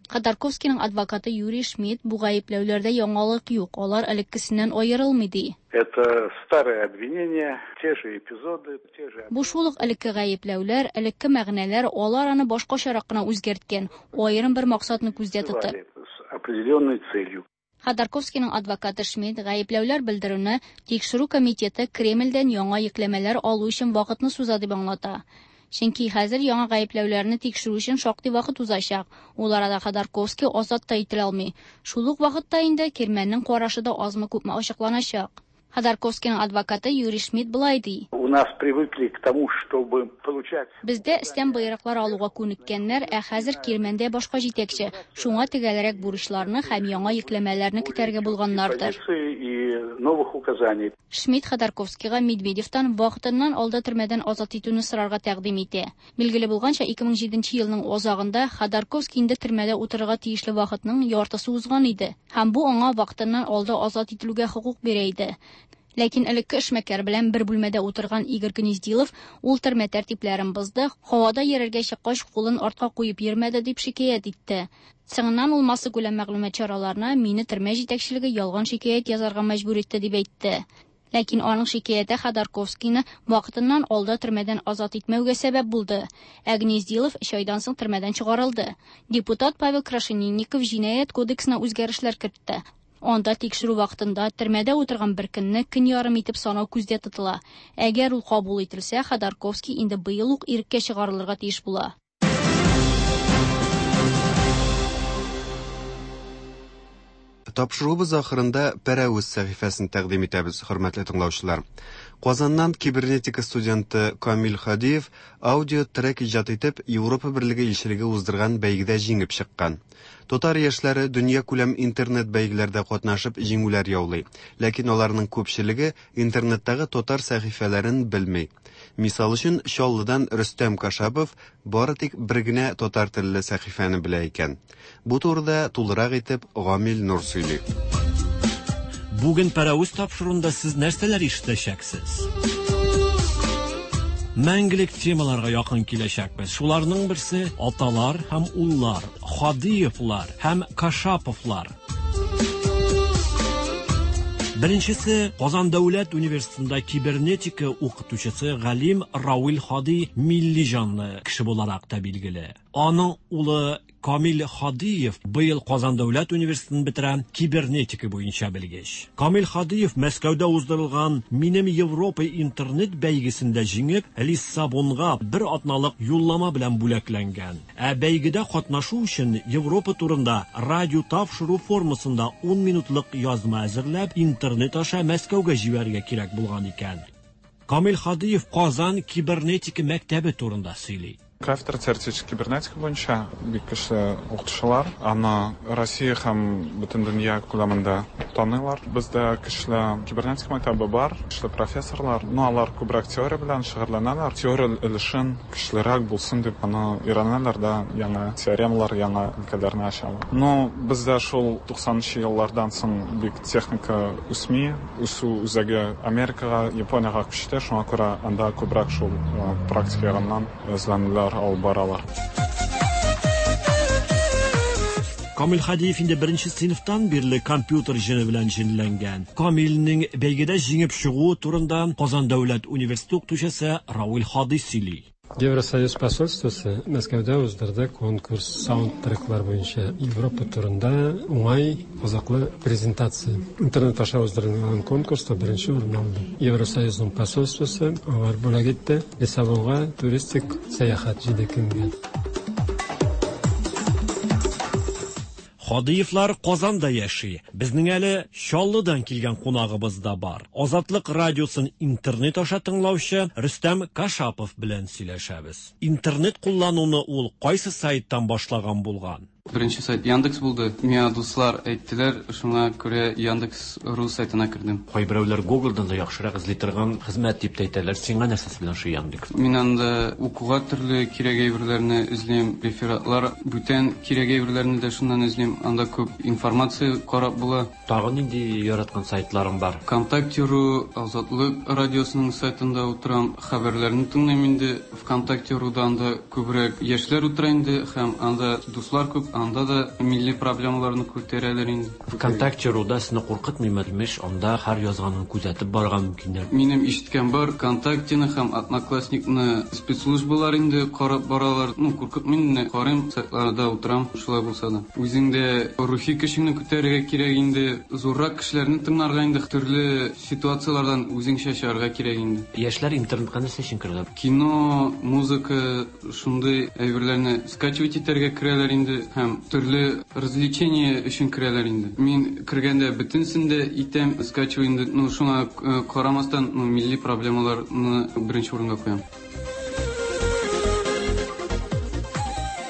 Ходорковскийның адвокаты Юрий Шмидт бу гаепләүләрдә яңалык юк, алар элеккесеннән аерылмый ди. Это старые обвинения, те же эпизоды, те же... Бу шул ук элекке гаепләүләр, элекке мәгънәләр, алар аны башкачарак кына үзгәрткән, аерым бер максатны күздә тотып. С определенной целью. Ходорковскийның адвокаты Шмидт гаепләүләр белдерүне Тикшерү комитеты Кремльдән яңа йөкләмәләр алу өчен вакытны суза дип аңлата. Чөнки хәзер яңа гаепләүләрне тикшерү өчен шактый вакыт узачак. Ул арада Ходорковский азат та ителә алмый. Шул ук вакытта инде Кирмәннең карашы да азмы-күпме ачыкланачак. Ходорковскийның адвокаты Юрий Шмидт былай ди. У нас привыкли к тому, чтобы получать... Бездә өстән боерыклар алуга күнеккәннәр, ә хәзер Кирмәндә башка җитәкче. Шуңа төгәлрәк бурычларны һәм яңа йөкләмәләрне көтәргә булганнардыр. И новых указаний. Шмидт Ходорковскийга Медведевтан вакытыннан алда төрмәдән азат итүне сорарга тәкъдим итә. Билгеле булганча, ике мең җиденче елның азагында Ходорковский инде төрмәдә утырырга тиешле вакытның яртысы узган иде. Һәм бу аңа вакытыннан алда азат ителүгә хокук бирә иде. Ләкин элекке эшмәкәр белән бер бүлмәдә утырган Игорь Гнездилов ул төрмә тәртипләрен бозды, һавада йөрергә чыккач кулын артка куеп йөрмәде дип шикаять итте. Соңыннан ул массакүләм мәгълүмат чараларына мине төрмә җитәкчелеге ялган шикаять язарга мәҗбүр итте дип әйтте. Ләкин аның шикаяте Ходорковскийны вакытыннан алда төрмәдән азат итмәүгә сәбәп булды. Ә Гнездилов өч айдан соң төрмәдән чыгарылды. Депутат Павел Крашенинников җинаять кодексына үзгәрешләр кертте. Анда тикшерү вакытында төрмәдә утырган бер көнне көн ярым итеп санау күздә тотыла. Әгәр ул кабул ителсә, Ходорковский инде быел ук иреккә чыгарылырга тиеш була. Тапшыруыбыз ахырында Пәрәвез сәхифәсен тәкъдим итәбез, хөрмәтле тыңлаучылар. Казаннан кибернетика студенты Камил Хадиев аудио трек иҗат итеп Европа Берлеге илчелеге уздырган бәйгедә җиңеп чыккан. Татар яшьләре дөньякүләм интернет бәйгеләрдә катнашып җиңүләр яулый. Ләкин аларның күпчелеге интернеттагы татар сәхифәләрен белми. Мисал өчен, Чаллыдан Рөстәм Кашапов бары тик бер генә татар телле сәхифәне белә икән. Бу турыда тулырак итеп Гамил Нур сөйли. Бүген Пәрәвез тапшыруында сез нәрсәләр ишетәчәксез? Мәңгелек темаларга якын киләчәкбез. Шуларның берсе аталар һәм уллар, Хадиевлар һәм Кашаповлар. Беренчесе Казан дәүләт университетында кибернетика укытучысы галим Равил Хади милли җанлы кеше буларак та билгеле. Аның улы Камил Хадиев быел Казан дәүләт университетын бетерә, кибернетика буенча белгеч. Камил Хадиев Мәскәүдә уздырылган Минем Европа интернет бәйгесендә җиңеп, Лиссабонга бер атналык юллама белән бүләкләнгән. Ә бәйгедә катнашу өчен Европа турында радио тапшыру формасында ун минутлык язма әзерләп, интернет аша Мәскәүгә җибәрергә кирәк булган икән. Камил Хадиев Казан кибернетика мәктәбе турында сөйли. Кафедра теоретической кибернетика буенча бик көчле укытучылар. Аны Россия һәм бөтен дөнья күләмендә таныйлар. Бездә көчле кибернетика мәктәбе бар, көчле профессорлар. Но алар күбрәк теория белән шөгыльләнәләр. Теория өлешен көчлерәк булсын дип аны өйрәнәләр дә, яңа теоремалар, яңа өлкәләрне ачалар. Но бездә шул туксанынчы еллардан соң бик техника үсми, үсү үзәге Америкага, Япониягә күчте, шуңа күрә анда күбрәк шул практика ягыннан эзләнүләр алып баралар. Камил Хадиев инде беренче сыйныфтан бирле компьютер җене белән җенләнгән. Камилнең бәйгедә җиңеп чыгуы турында Казан дәүләт университеты укытучысы Равил Хади сөйли. Евросоюз посольствосы Мәскәүдә уздырды конкурс саундтреклар буенча Европа турында уңай кызыклы презентация. Интернет аша уздырылган конкурста беренче урын алды. Евросоюзның посольствосы алар бүләк итте Лиссабонга туристик сәяхәт җиде көнгә. Хадиевлар Казанда яши. Безнең әле Чаллыдан килгән кунагыбыз да бар. Азатлык радиосын интернет аша тыңлаучы Рөстәм Кашапов белән сөйләшәбез. Интернет куллануны ул кайсы сайттан башлаган булган? Беренче сайт Яндекс булды. Миңа дуслар әйттеләр, шуңа күрә Яндекс ру сайтына кердем. Кайберәүләр Google'дан да яхшырак эзли торган хезмәт дип тә әйтәләр. Сиңа нәрсәсе белән шу Яндекс? Мин анда укуга төрле кирәк әйберләрне эзлим, рефератлар, бүтән кирәк әйберләрне дә шуннан эзлим. Анда күп информация карап була. Тагын нинди яраткан сайтларың бар? ВКонтакте.ру, Азатлык радиосының сайтында утырам, хәбәрләрне тыңлыйм инде. ВКонтакте.руда анда күбрәк яшьләр утыра инде һәм анда дуслар күп. Анда да милли проблемаларны күтәрәләр инде. ВКонтакте руда сине куркытмыймы? Имеш, анда һәр язганын күзәтеп барырга мөмкиннәр. Минем ишеткән бар, ВКонтактены һәм Одноклассникны спецслужбалар инде карап баралар. Ну, куркытмый инде, карыйм, сайтларда утырам, шулай булса да. Үзең дә рухи көчеңне күтәрергә кирәк инде, зуррак кешеләрне тыңларга инде, төрле ситуацияләрдән үзеңчә чыгарга кирәк инде. Яшьләр интернетка нәрсә өчен керәләр? Кино, музыка, шундый әйберләрне скачивать итәргә керәләр инде һәм төрле развлечение өчен керәләр инде. Мин кергәндә бөтенсен дә итәм, скачиваю инде, ну, шуңа карамастан, ну, милли проблемаларны беренче урынга куям.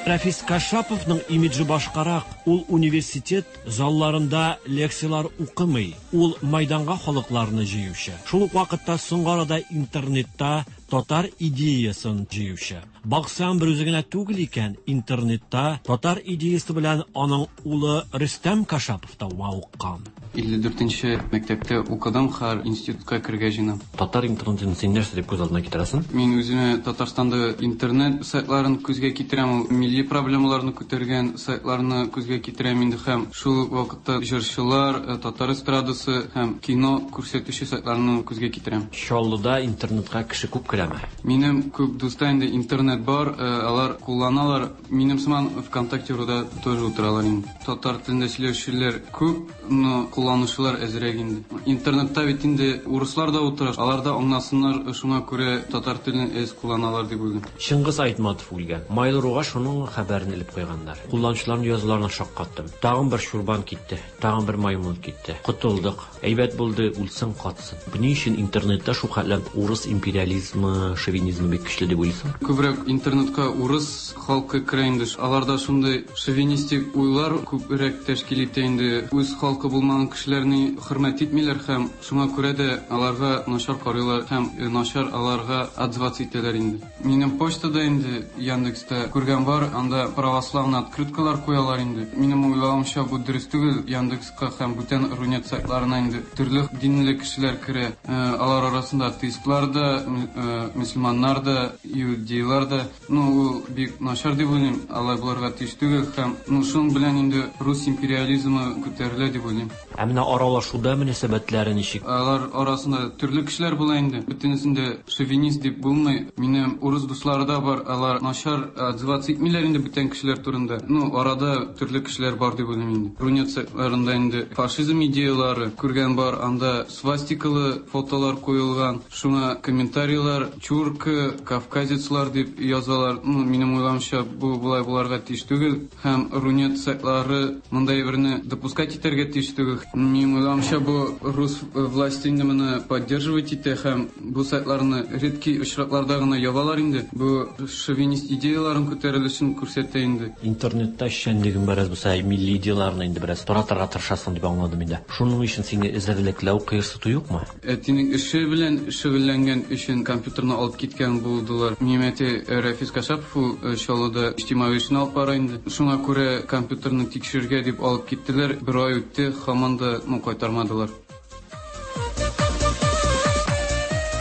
Рәфис Кашаповның имиджы башкарак. Ул университет залларында лекциялар укымый. Ул майданга халыкларны җыючы. Шул ук вакытта соңгы арада интернетта татар идеясын җыючы. Баксаң, бер үзе генә түгел икән, интернетта татар идеясы белән аның улы Рөстәм Кашапов та мавыккан. илле дүртенче мәктәптә укыдым, хәзер институтка керергә җыенам. Татар интернетын син нәрсә дип күз алдына китерәсең? Мин үземә Татарстанда интернет сайтларын күзгә китерәм, ул милли проблемаларны күтәргән сайтларны күзгә китерәм инде һәм шул ук вакытта җырчылар, татар эстрадасы һәм кино күрсәтүче сайтларны күзгә китерәм. Чаллыда интернетка кеше күп керәме? Минем күп дуста инде интернет бар, алар кулланалар. Минем сыман ВКонтакте руда тоже утыралар инде. Татар телендә сөйләүчеләр күп, но кулланучылар әзрәк инде. Интернетта бит инде урыслар да утыра, алар да аңласыннар, шуңа күрә татар телен әз кулланалар дип уйлыйм. Чыңгыз Айтматов үлгән. Mail.ruга шуның хәбәрен элеп куйганнар. Кулланучыларның язуларына шаккаттым. Тагын бер чурбан китте, тагын бер маймыл китте. Котылдык. Әйбәт булды, үлсен, катсын. Ни өчен интернетта шул хәтле урыс империализмы, шовинизмы бик көчле дип уйлыйсың? Күбрәк интернетка урыс халкы керә инде. Аларда шундый шовинистик уйлар күбрәк тәшкил итә инде. Үз халкы булмаган кешеләрне хөрмәт итмиләр һәм шуңа күрә дә аларга начар карыйлар һәм начар аларга отзываться итәләр инде. Минем почтада инде Яндекста күргән бар, анда православный открыткалар куялар инде. Минем уйлавымча, бу дөрес түгел. Яндекска һәм бүтән Рунет сайтларына инде төрле динле кешеләр керә. Алар арасында атеистлар да, мөселманнар да, иудейлар да. Ну, ул бик начар дип уйлыйм. Алай булырга тиеш түгел һәм ну, шуның белән инде рус империализмы күтәрелә дип уйлыйм. Ә менә аралашуда мөнәсәбәтләре ничек? Алар арасында төрле кешеләр була инде. Бөтенесен дә шовинист дип булмый. Минем урыс дуслары да бар, алар начар отзываться итмиләр инде бүтән кешеләр турында. Ну, арада төрле кешеләр бар дип уйлыйм инде. Рунет сайтларында инде фашизм идеялары күргән бар, анда свастикалы фотолар куелган, шуңа комментарийлар, чурка, кавказецлар дип язалар. Ну, минем уйлавымча, бу болай буларга тиеш түгел һәм Рунет сайтлары мондай берне допускать итәргә тиеш түгел. Минем уйлавымча, бу рус власти инде моны поддерживать итә һәм бу сайтларны редкий очракларда гына ябалар инде. Бу шовинист идеяларын күтәрелешен күрсәтә инде. Интернетта эшчәнлегең бераз булса, милли идеяларны инде бераз таратырга тырышасың дип аңладым инде. Шуның өчен сине эзәрлекләү, кыерсыту юкмы? Әтинең эше белән шөгыльләнгән өчен компьютерны алып киткән булдылар. Минем әти Рәфис Кашапов ул Чаллыда иҗтимагый эшне алып бара инде. Шуңа күрә компьютерны тикшерергә дип алып киттеләр. Бер ай үтте, һаман да ну кайтармадылар.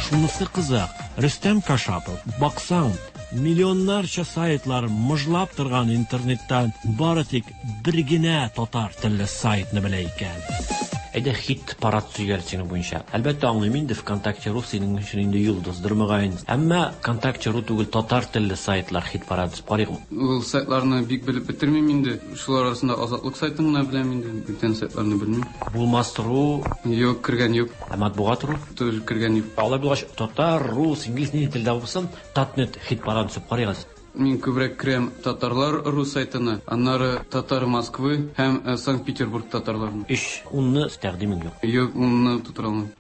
Шунысы кызык, Рөстәм Кашапов, баксаң, миллионнарча сайтлар мыжлап торган интернеттан бары тик бер генә татар телле сайтны белә икән. Әйдә хит парад сөйләр синең буенча. Әлбәттә аңлыйм инде, ВКонтакте рус синең өчен инде йолдыздыр мөгаен. Әмма ВКонтакте ру түгел, татар телле сайтлар хит парад дип карыйк. Ул сайтларны бик белеп бетермим инде. Шулар арасында Азатлык сайтын гына беләм инде, бүтән сайтларны белмим. Булмас ру юк, кергән юк. Ә матбугат ру тоже кергән юк. Алай булгач, татар, рус, инглиз нинди телдә булсын, Татнет хит парад дип карыйк. Мин күбрәк керәм татарлар рус сайтына, аннары татар Москвы һәм Санкт-Петербург татарларына. Өч унны тәкъдимең юк. Юк, унны тутыра алмыйм.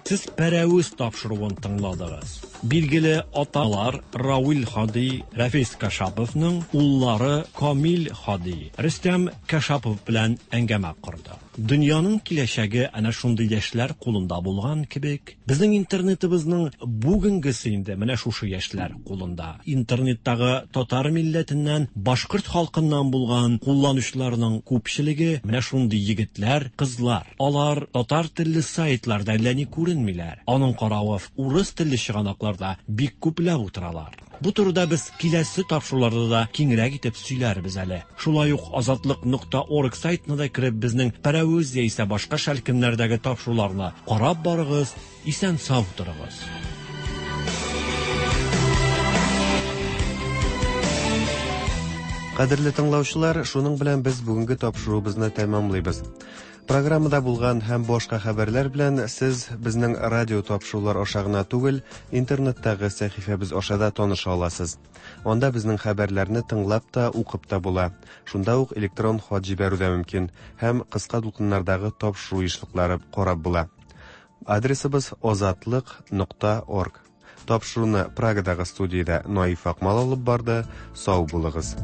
Сез Пәрәвез тапшыруын тыңладыгыз. Билгеле аталар Равил Хади, Рәфис Кашаповның уллары Камил Хади, Рөстәм Кашапов белән әңгәмә корды. Дөньяның киләчәге әнә шундый яшьләр кулында булган кебек, безнең интернетыбызның бүгенгесе инде менә шушы яшьләр кулында. Интернеттагы татар милләтеннән, башкорт халкыннан булган кулланучыларның күпчелеге менә шундый егетләр, кызлар. Алар татар телле сайтларда әллә ни күренмиләр. Аның каравы урыс телле чыганакларда бик күпләп утыралар. Бу турыда без киләсе тапшыруларда да киңрәк итеп сөйләрбез әле. Шулай ук азатлык нокта орг сайтына да кереп безнең Пәрәвез яисә башка шәлкемнәрдәге тапшыруларны карап барыгыз, исән-сау торыгыз. Кадерле тыңлаучылар, шуның белән без бүгенге тапшыруыбызны тәмамлыйбыз. Программада булган һәм башка хәбәрләр белән сез безнең радио тапшырулар аша гына түгел, интернеттагы сәхифәбез аша да таныша аласыз. Анда безнең хәбәрләрне тыңлап та, укып та була. Шунда ук электрон хат җибәрү дә мөмкин һәм кыска дулкыннардагы тапшыру ешлыклары карап була. Адресыбыз азатлык нокта орг. Тапшыруны Прагадагы студиядә Наиф Акмал алып барды. Сау булыгыз.